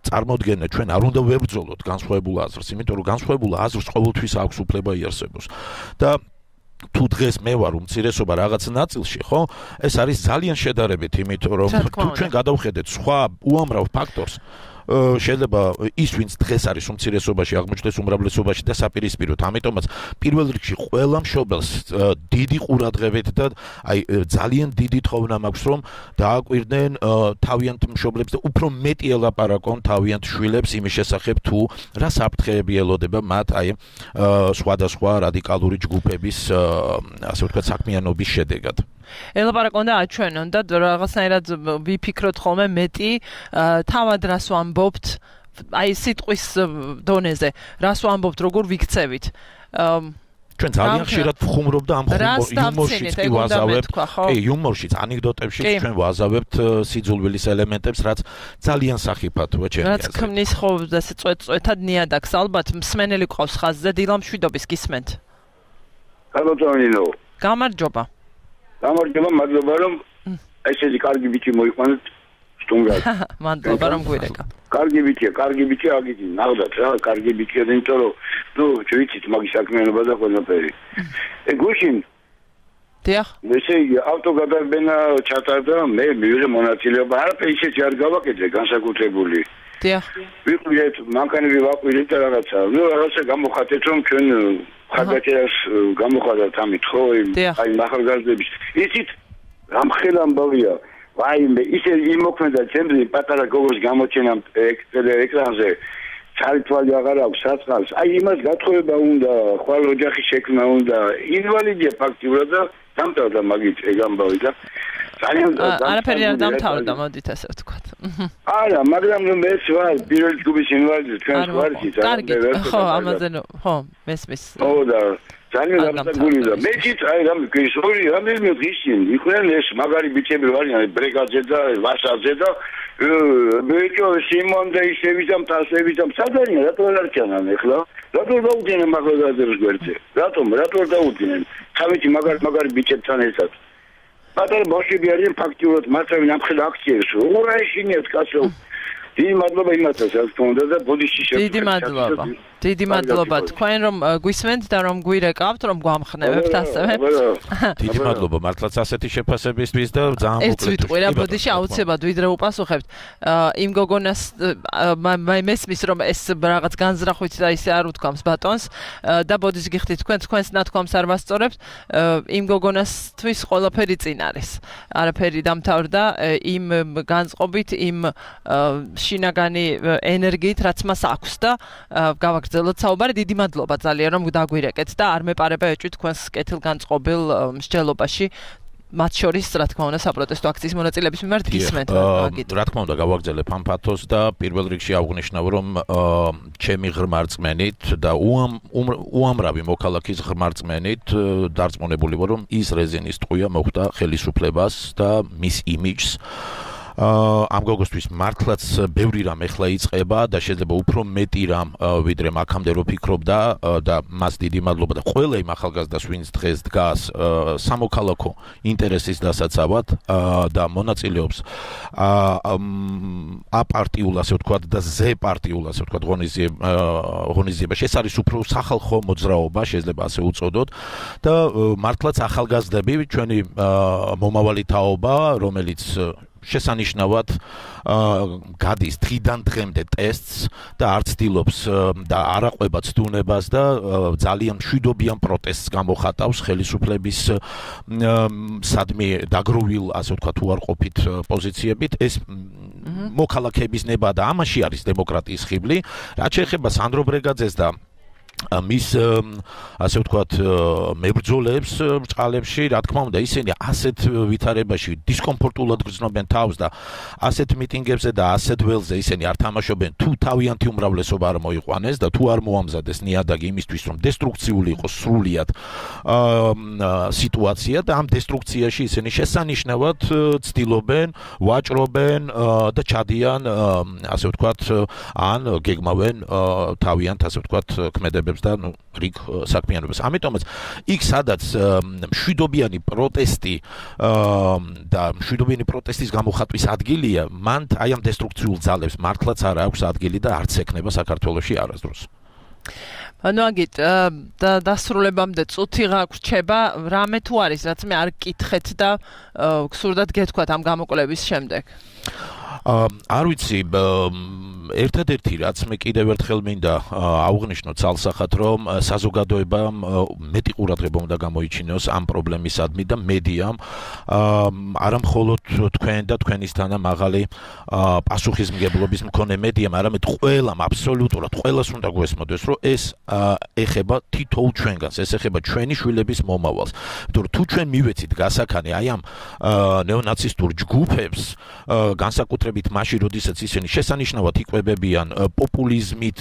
I: წარმოდგენა, ჩვენ არ უნდა ვებრძოლოთ განსხვავებულ აზრს, იმიტომ რომ განსხვავებულ აზრს ყოველთვის აქვს უფლება იარსებოს. და თუ დღეს მე ვარ უმცირესობა რაღაც ნაწილში, ხო? ეს არის ძალიან შედარებით, იმიტომ რომ თუ ჩვენ გადავხედეთ სხვა უამრავ ფაქტორს, შეიძლება ის ვინც დღეს არის უმცირესობაში აღმოჩნდეს უმრავლესობაში და საპირისპიროთ. ამიტომაც პირველ რიგში ყველა მშობელს დიდი ყურადღებით და აი ძალიან დიდი თხოვნა მაქვს, რომ დააკვირდნენ თავიანთ მშობლებს და უფრო მეტი ელაპარაკონ თავიანთ შვილებს იმის შესახებ, თუ რა საფრთხეები ელოდება მათ აი სხვადასხვა რადიკალური ჯგუფების ასე ვთქვათ საქმიანობის შედეგად. ელაპარაკონ და აჩვენონ და რაღაცნაირად ვიფიქროთ ხოლმე მეტი თავად რას ვამბობთ აი სიტყვის დონეზე რას ვამბობთ როგორ ვიქცევით ჩვენ ძალიან ხშირად ვხუმრობ და ამ იუმორშიც კი ვაზავებთ კი იუმორშიც ანეკდოტებშიც ჩვენ ვაზავებთ სიძულვილის ელემენტებს რაც ძალიან სახიფათოა ჩემი აზრით რაც ქმნის ხო ასე წვეთ-წვეთად ნიადაგს ალბათ მსმენელი ყავს ხაზზე დილა მშვიდობის გისმენთ
J: გამარჯობა
B: გამარჯობა
J: გამარჯობა, მადლობა რომ ესეთი კარგი ბიჭი მოიყვანეთ სტუმრად.
B: მადლობა რომ გვირეკა.
J: კარგი ბიჭია, კარგი ბიჭი აგიძი, ნახდათ რა, კარგი ბიჭია, იმიტომ რომ ნუ ვიცით მაგის საქმიანობა და ყველაფერი. ე გუშინ
B: დიახ.
J: ესე იგი ავტოგადარბენა ჩატარდა, მე მივიღე მონაწილეობა, არაფერი ისეთი არ გავაკეთე განსაკუთრებული.
B: დიახ.
J: ვიყვირეთ, მანქანები ვაყვირეთ და რაღაცა. ნუ რაღაცა გამოხატეთ რომ ჩვენ ხარდაჭერას გამოხატეთ ამით ხო აი ახალგაზრდების იცით რამხელა ამბავია ვაიმე ისე იმოქმედა ჩემზე პატარა გოგოს გამოჩენა ეკრანზე ცალთვალი აღარ აქვს საწყალს აი იმას გათხოვება უნდა ხვალ ოჯახის შექმნა უნდა ინვალიდია ფაქტიურად და დამთავრდა მაგით ეგ ამბავი და ძალიან
B: არაფერი არ დამთავრდა მოდით ასე ვთქვათ
J: არა მაგრამ ნუ მეც ვარ პირველი ჯგუფის ინვალიდი თქვენ ვართ
B: კარგი ხო ამაზე ხო მესმის
J: ხო და ძალიან გამსაგული და მეც აი რამე გისორი რამე გისინ იყვნენ ეს მაგარი ბიჭები ვარიან ბრეგადზე და ვასაძე და ბიჭო სიმონ და ისევიზამ თასევიზამ სადარია რატო არ არჩანან ეხლა რატო დაუდგენენ მაგალითად გვერდზე რატომ რატო დაუდგენენ თავეთი მაგარი მაგარი ბიჭებთან ერთად პატარა ბავშვები არიან ფაქტიურად მართავენ ამხელ აქციებს რა ეშინიათ კაცო დიდი მადლობა იმასაც რაც თქონდა და ბოდიში შეგვიძლია
B: დიდი მადლობა დიდი მადლობა თქვენ რომ გვისმენთ და რომ გვირეკავთ რომ გვამხნევებთ ასევე
I: დიდი მადლობა მართლაც ასეთი შეფასებისთვის და ძალიან მოკლედ
B: ეს ვიტყვი რა ბოდიში აუცილებლად ვიდრე უპასუხებთ იმ გოგონას მე მესმის რომ ეს რაღაც განზრახვით და ისე არ უთქვამს ბატონს და ბოდიში გიხდით თქვენ თქვენს ნათქვამს არ ვასწორებთ იმ გოგონასთვის ყველაფერი წინ არის არაფერი დამთავრდა იმ განწყობით იმ შინაგანი ენერგიით რაც მას აქვს და გავაგრძელოთ საუბარი დიდი მადლობა ძალიან რომ დაგვირეკეთ და არ მეპარება ეჭვი თქვენს კეთილგანწყობილ მსჯელობაში მათ შორის რა თქმა უნდა საპროტესტო აქციის მონაწილეების მიმართ გისმენთ
I: მაგით რა თქმა უნდა გავაგრძელებ ამ ფათოს და პირველ რიგში აღვნიშნავ რომ ჩემი ღრმა რწმენით და უამრავი მოქალაქის ღრმა რწმენით დარწმუნებული ვარ რომ ის რეზინის ტყვია მოხვდა ხელისუფლებას და მის იმიჯს ამ გოგოსთვის მართლაც ბევრი რამ ეხლა იწყება და შეიძლება უფრო მეტი რამ ვიდრე აქამდე რო ფიქრობდა და მას დიდი მადლობა და ყველა იმ ახალგაზრდას ვინც დღეს დგას სამოქალაქო ინტერესის დასაცავად და მონაწილეობს აპარტიულ ასე ვთქვათ და ზეპარტიულ ასე ვთქვათ ღონისძიებაში ეს არის უფრო სახალხო მოძრაობა შეიძლება ასე უწოდოთ და მართლაც ახალგაზრდები ჩვენი მომავალი თაობა რომელიც შესანიშნავად გადის დღიდან დღემდე ტესტს და არ ცდილობს და არ აყვება ცდუნებას და ძალიან მშვიდობიან პროტესტს გამოხატავს ხელისუფლების სადმე დაგროვილ ასე ვთქვათ უარყოფით პოზიციებით ეს მოქალაქეების ნება და ამაში არის დემოკრატიის ხიბლი რაც შეეხება სანდრო ბრეგაძეს და მის ასე ვთქვათ მებრძოლებს ბრწყალებში რა თქმა უნდა ისინი ასეთ ვითარებაში დისკომფორტულად გრძნობენ თავს და ასეთ მიტინგებზე და ასეთ ველზე ისინი არ თამაშობენ თუ თავიანთი უმრავლესობა არ მოიყვანეს და თუ არ მოამზადეს ნიადაგი იმისთვის რომ დესტრუქციული იყოს სრულიად სიტუაცია და ამ დესტრუქციაში ისინი შესანიშნავად ცდილობენ ვაჭრობენ და ჩადიან ასე ვთქვათ ან გეგმავენ თავიანთ ასე ვთქვათ ქმედებებს და ნუ რიგ საქმიანობას. ამიტომაც იქ სადაც მშვიდობიანი პროტესტი და მშვიდობიანი პროტესტის გამოხატვის ადგილია, მან აი ამ დესტრუქციულ ძალებს მართლაც არ აქვს ადგილი და არც ექნება საქართველოში არასდროს.
B: ანუ აგით და დასრულებამდე წუთი გაგვრჩება, რამე თუ არის, რაც მე არ გკითხეთ და გსურდათ გეთქვათ ამ გამოკვლევის შემდეგ.
I: არ ვიცი ერთადერთი რაც მე კიდევ ერთხელ მინდა აღვნიშნო ცალსახად რომ საზოგადოებამ მეტი ყურადღება უნდა გამოიჩინოს ამ პრობლემისადმი და მედიამ არა მხოლოდ თქვენ და თქვენისთანა მაღალი პასუხისმგებლობის მქონე მედიამ, არამედ ყველამ აბსოლუტურად ყველას უნდა გვესმოდეს რომ ეს ეხება თითოეულ ჩვენგანს, ეს ეხება ჩვენი შვილების მომავალს. იმიტომ რომ თუ ჩვენ მივეცით გასაქანი აი ამ ნეონაცისტურ ჯგუფებს განსაკუთრებით მაშინ როდესაც ისინი შესანიშნავად იკვებებიან პოპულიზმით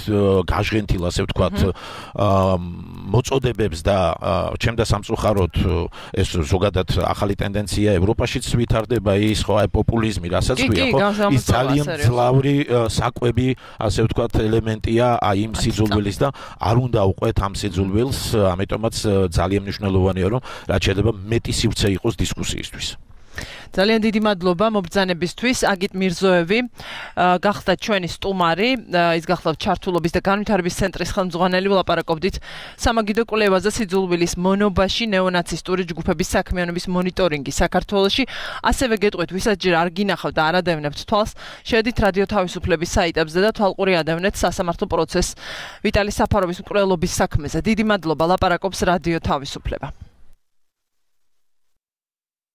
I: გაჟღენთილ ასე ვთქვათ მოწოდებებს და ჩემდა სამწუხაროდ ეს ზოგადად ახალი ტენდენცია ევროპაშიც ვითარდება ის ხო აი პოპულიზმი რასაც ქვია ხო ის ძალიან ძლავრი საკვები ასე ვთქვათ ელემენტია აი იმ სიძულვილის და არ უნდა უყვეთ ამ სიძულვილს, ამიტომაც ძალიან მნიშვნელოვანია რომ რაც შეიძლება მეტი სივრცე იყოს დისკუსიისთვის.
B: ძალიან დიდი მადლობა მობრძანებისთვის. აგით მირზოევი გახდა ჩვენი სტუმარი, ის გახდა ჩართულობის და განვითარების ცენტრის ხელმძღვანელი. ვლაპარაკობდით სამაგიდო კვლევაზე სიძულვილის მონობაში ნეონაცისტური ჯგუფების საქმიანობის მონიტორინგი საქართველოში. ასევე გეტყვით, ვისაც ჯერ არ გინახავთ და არ ადევნებთ თვალს, შედით რადიო თავისუფლების საიტებზე და თვალყური ადევნეთ სასამართლო პროცესს ვიტალი საფაროვის მკვლელობის საქმეზე. დიდი მადლობა, ლაპარაკობს რადიო თავისუფლება.